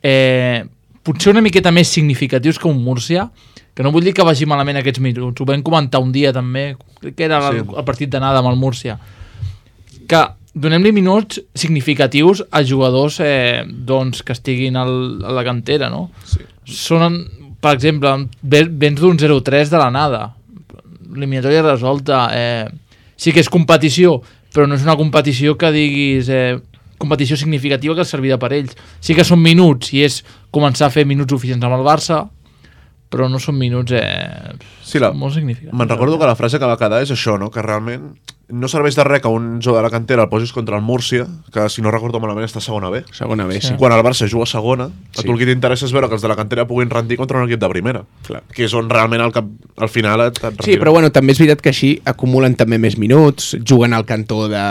D: eh, potser una miqueta més significatius que un Múrcia, que no vull dir que vagi malament aquests minuts, ho vam comentar un dia també, crec que era sí. el, el partit d'anada amb el Múrcia, que donem-li minuts significatius a jugadors eh, doncs, que estiguin al, a la cantera, no?
E: Sí.
D: Són, per exemple, vens d'un zero tres de l'anada, eliminatòria resolta, eh, sí que és competició, però no és una competició que diguis eh, competició significativa que servirà per ells. Sí que són minuts i és començar a fer minuts oficials amb el Barça, però no són minuts eh,
E: sí, la...
D: molt significatius.
E: Me'n recordo que la frase que va quedar és això, no? Que realment no serveix de res que un jugador de la cantera el posis contra el Múrcia, que si no recordo malament està a segona B.
B: Segona B, sí.
E: Quan el Barça juga a segona,
B: sí.
E: a tu el que t'interessa és veure que els de la cantera puguin rendir contra un equip de primera. Clar. Que és on realment al, cap, al final et, et
B: sí, però bueno, també és veritat que així acumulen també més minuts, juguen al cantó de,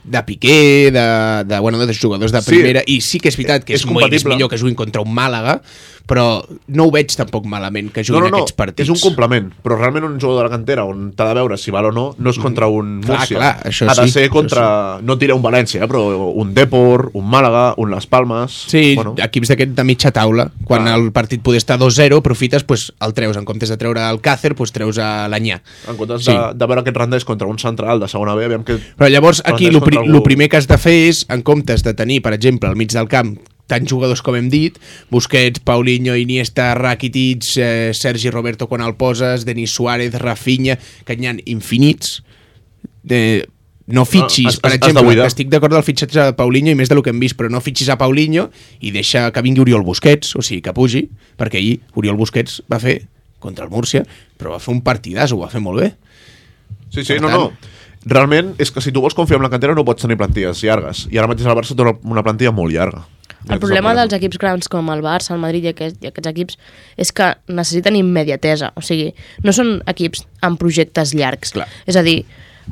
B: de Piqué, de, de, bueno, de jugadors de primera, sí. I sí que és veritat que és, és, molt, és millor que juguin contra un Màlaga, però no ho veig tampoc malament que juguin
E: no, no, no.
B: aquests partits.
E: És un complement, però realment un jugador de la cantera on t'ha de veure si val o no, no és contra un
B: mm.
E: Múrcia.
B: Clar, clar, això
E: ha de
B: sí,
E: ser contra, sí. No diré un València, eh, però un Depor, un Màlaga, un Las Palmes...
B: Sí,
E: bueno.
B: Equips d'aquest de mitja taula. Quan ah. el partit poder estar dos zero, aprofites, pues, el treus. En comptes de treure el Càcer, pues, treus a l'Anyà.
E: En comptes
B: sí.
E: de, de veure aquest rendeix contra un central de segona B, aviam que...
B: Però llavors aquí el pri
E: algú...
B: primer que has de fer és, en comptes de tenir, per exemple, al mig del camp tants jugadors com hem dit, Busquets, Paulinho, Iniesta, Rakitic, eh, Sergi Roberto quan el poses, Denis Suárez, Rafinha, que n'hi ha infinits. De... No fitxis, no, has, per exemple, que estic d'acord del fitxatge de Paulinho i més del que hem vist, però no fitxis a Paulinho i deixa que vingui Oriol Busquets, o sigui, que pugi, perquè ahir Oriol Busquets va fer contra el Múrcia, però va fer un partidàs, ho va fer molt bé.
E: Sí, sí, per no, tant... no. Realment és que si tu vols confiar en la cantera no pots tenir plantilles llargues, i ara mateix el Barça té una plantilla molt llarga.
C: El problema dels equips grans com el Barça, el Madrid i aquests, i aquests equips és que necessiten immediatesa, o sigui, no són equips amb projectes llargs.
B: Clar.
C: És a dir,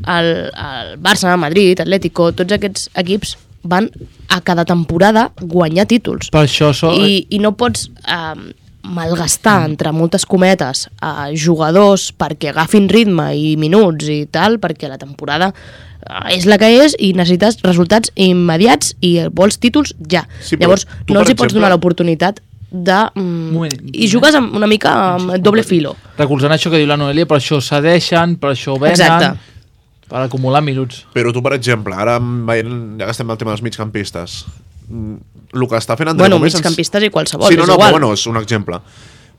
C: el, el Barça, Madrid, Atlético, tots aquests equips van a cada temporada guanyar títols.
D: Per això... So...
C: I, I no pots eh, malgastar, entre moltes cometes, a jugadors perquè agafin ritme i minuts i tal, perquè la temporada és la que és i necessites resultats immediats i vols títols ja.
E: Sí,
C: Llavors,
E: tu,
C: no els hi
E: exemple...
C: pots donar l'oportunitat de... Mm,
D: Moment,
C: i jugues amb, una mica amb doble filo.
D: Recolzant això que diu la Noelia, per això cedeixen, per això venen,
C: Exacte.
D: Per acumular minuts.
E: Però tu, per exemple, ara veient, ja que estem al tema dels migcampistes, el que està fent André
C: bueno,
E: Gómez...
C: migcampistes i qualsevol,
E: sí, no,
C: és
E: no,
C: igual.
E: però bueno, és un exemple.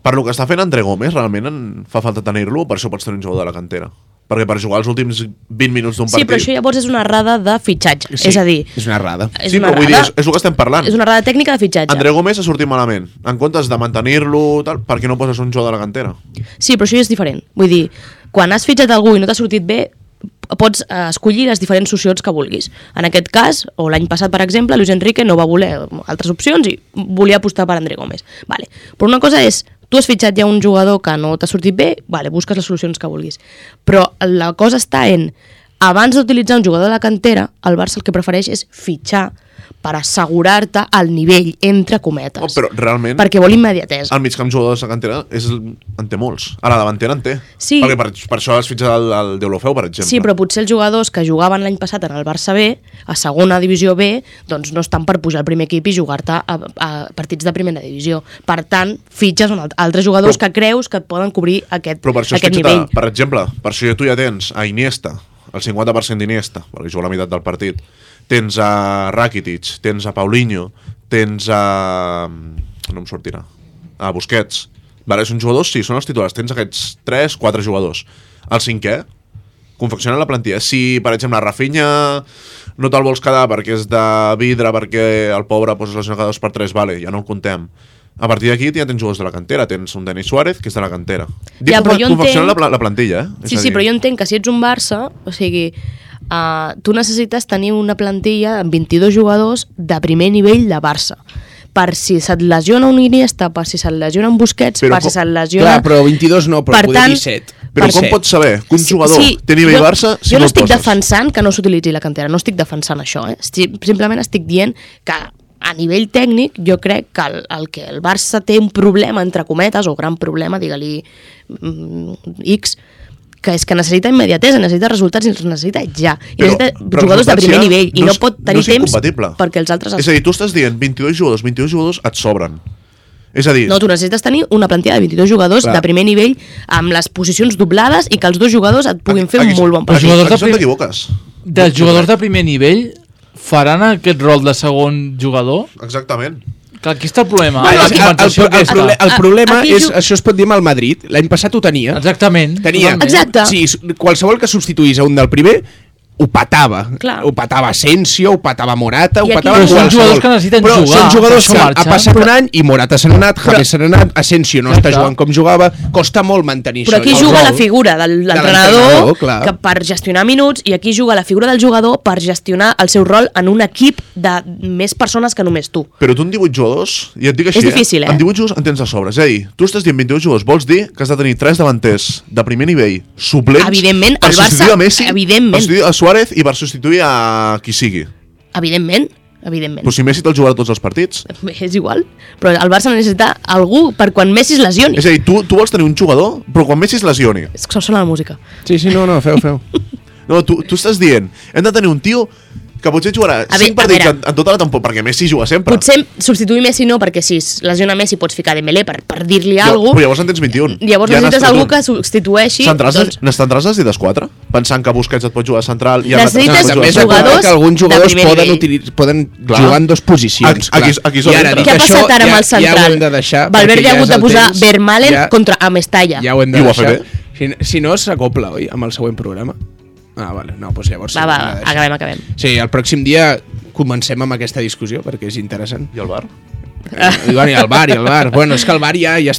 E: Per lo que està fent André Gómez, realment en fa falta tenir-lo, per això pots tenir un jugador de la cantera. Perquè per jugar els últims vint minuts d'un partit...
C: Sí, però això llavors és una errada de fitxatge.
B: Sí,
C: és a dir...
B: és una errada.
C: És
E: Sí,
C: una
E: però vull dir,
C: errada,
E: és, és el que estem parlant.
C: és una errada tècnica de fitxatge.
E: André Gómez ha sortit malament. En comptes de mantenir-lo, tal, per què no poses un jugador de la cantera?
C: Sí, però això ja és diferent. Vull dir, quan has fitxat algú i no t'ha sortit bé, pots eh, escollir les diferents opcions que vulguis. En aquest cas, o l'any passat, per exemple, Luis Enrique no va voler altres opcions i volia apostar per André Gómez. Vale. Però una cosa és, tu has fitxat ja un jugador que no t'ha sortit bé, vale, busques les solucions que vulguis. Però la cosa està en, abans d'utilitzar un jugador de la cantera, el Barça el que prefereix és fitxar per assegurar-te el nivell, entre cometes.
E: Oh, però realment...
C: Perquè vol immediatesa.
E: El migcamp jugador de la cantera és, en té molts. A la davantera en té.
C: Sí.
E: Perquè per, per això has fitxat el, el Deulofeu, per exemple.
C: Sí, però potser els jugadors que jugaven l'any passat en el Barça B, a segona divisió B, doncs no estan per pujar al primer equip i jugar-te a, a partits de primera divisió. Per tant, fitxes un alt- altres jugadors
E: Però-
C: que creus que et poden cobrir aquest,
E: Però per això has
C: aquest
E: fitxat,
C: nivell.
E: a, per exemple, per això tu ja tens a Iniesta, el cinquanta per cent d'Iniesta, perquè juga la meitat del partit, tens a Rakitic, tens a Paulinho, tens a... no em sortirà, a Busquets. Vale, són jugadors, sí, són els titulars, tens aquests tres, quatre jugadors. El cinquè, confeccionen la plantilla. Si, per exemple, Rafinha no te'l vols quedar perquè és de vidre, perquè el pobre posa les cada dos per tres, vale, ja no el contem. A partir d'aquí ja tens jugadors de la cantera, tens un Denis Suárez, que és de la cantera. Dic
C: Ja, però jo
E: confeccionar
C: entenc-
E: la, pla- la plantilla, eh?
C: Sí, sí, però jo entenc que si ets un Barça, o sigui, uh, tu necessites tenir una plantilla amb vint-i-dos jugadors de primer nivell de Barça. Per si se't lesiona un Iniesta, per si se't lesiona un Busquets,
E: Però
C: per si
E: com-
C: se't lesiona...
B: Clar, però vint-i-dos no, però
C: Per
B: poder
C: tant,
B: disset.
E: Però com
B: disset.
E: pots saber que un jugador té nivell
C: jo,
E: Barça si
C: jo
E: no
C: no
E: el
C: estic
E: poses?
C: defensant que no s'utilitzi la cantera, no estic defensant això, eh? Estic, simplement estic dient que a nivell tècnic jo crec que el, el que el Barça té un problema, entre cometes, o gran problema, digue-li mm, X, que és que necessita immediatesa, necessita resultats i els necessita ja. I
E: Però-
C: necessita
E: però
C: jugadors de
E: resultats
C: primer
E: ja
C: nivell i
E: no
C: no
E: és-
C: pot
E: no
C: tenir
E: és
C: temps
E: incompatible.
C: perquè els altres...
E: És a dir, tu estàs dient vint-i-dos jugadors, vint-i-dos jugadors et sobren. És a dir,
C: No, tu necessites tenir una plantilla de vint-i-dos jugadors
E: Clar.
C: de primer nivell amb les posicions doblades i que els dos jugadors et puguin fer un
E: aquí-
C: molt bon
D: Els
E: aquí,
C: partit.
D: jugadors de
E: aquí és on
D: prim-
E: t'equivoques.
D: Dels jugadors de primer nivell faran aquest rol de segon jugador?
E: Exactament.
D: Que aquí està el problema.
B: Bueno,
D: la
B: el, el,
D: compensació
B: el, el,
D: aquesta.
B: proble- el
C: A-
B: problema
C: aquí
B: és,
C: ju-
B: això es pot dir amb el Madrid. L'any passat ho tenia.
D: Exactament.
B: Tenia.
D: totalment.
C: Exacte.
B: Sí, s- qualsevol que substituís a un del primer ho patava.
C: Clar.
B: Ho patava Asensio, ho patava Morata, ho
C: I aquí-
B: patava
D: Però són
B: qualsevol.
D: jugadors que necessiten
B: Però
D: jugar,
B: són jugadors
D: per
B: que
D: això
B: ha
D: marxen.
B: passat
C: Però-
B: un any i Morata se n'ha anat, James se n'ha anat, Asensio no
D: Exacte.
B: està jugant com jugava, costa molt mantenir
C: Però
B: això.
C: aquí
B: El
C: juga
B: rol.
C: la figura del,
B: De
C: l'entrenador
B: l'entrenador, clar.
C: que per gestionar minuts, i aquí juga la figura del jugador per gestionar el seu rol en un equip de més persones que només tu.
E: Però tu en divuit jugadors, i et dic així,
C: És difícil, eh?
E: En divuit jugadors en tens a sobre. És a dir, tu estàs dient vint-i-dos jugadors, vols dir que has de tenir tres davanters de primer nivell suplents
C: Evidentment,
E: per
C: el Barça-
E: substituir a Messi,
C: evidentment.
E: per substituir a Suárez i per substituir a qui sigui.
C: Evidentment, evidentment.
E: Però si Messi te'l jugarà tots els partits.
C: És igual, però el Barça necessita algú per quan Messi es lesioni.
E: És a dir, tu, tu vols tenir un jugador, però quan Messi es lesioni.
C: És que sona la música.
B: Sí, sí, no, no, feu, feu.
E: No, tu, tu estàs dient, hem de tenir un tio que potser jugarà
C: A
E: cinc
C: ve- a
E: partits
C: veure.
E: en, en tota la temporada, perquè Messi juga sempre.
C: Potser substituir Messi no, perquè si es lesiona Messi pots ficar Dembélé per, per dir-li
E: Ja,
C: alguna
E: però
C: cosa.
E: llavors en tens vint-i-un.
C: Llavors
E: Ja
C: necessites
E: n'has
C: algú
E: tret
C: que
E: un.
C: substitueixi.
E: Centrals,
C: Doncs,
E: N'estendràs les dites quatre? Pensant que Busquets et pot jugar central i
C: Necessites
E: Alcácer et pot
B: També és
E: jugar
B: de
C: jugadors
B: que alguns
C: de
B: jugadors
C: primer
B: poden,
C: nivell.
B: utilitzar, poden
E: Clar.
B: jugar en dos posicions.
E: Aquí- aquí és-
B: clar.
E: aquí és on
B: I ara,
E: entra.
B: dit
C: què ha
B: això,
C: passat ara amb
B: ja-
C: el central?
B: Ja ho hem de deixar.
C: Valverde
B: perquè
C: ha
B: ja
C: hagut
B: és
C: de
B: el
C: posar
B: temps.
C: Vermaelen
B: Ja-
C: contra Amestalla.
B: Ja ho hem de
E: I ho va
B: deixar.
E: fer
B: Si, si no, s'acopla, oi, amb el següent programa? Ah, vale. No, doncs llavors...
C: Va,
B: sí,
C: va,
B: ho hem de deixar.
C: acabem, acabem.
B: Sí, el pròxim dia comencem amb aquesta discussió, perquè és interessant.
E: I el bar?
B: I, bueno, i el bar, i el bar. Bueno, és que el bar ja, ja,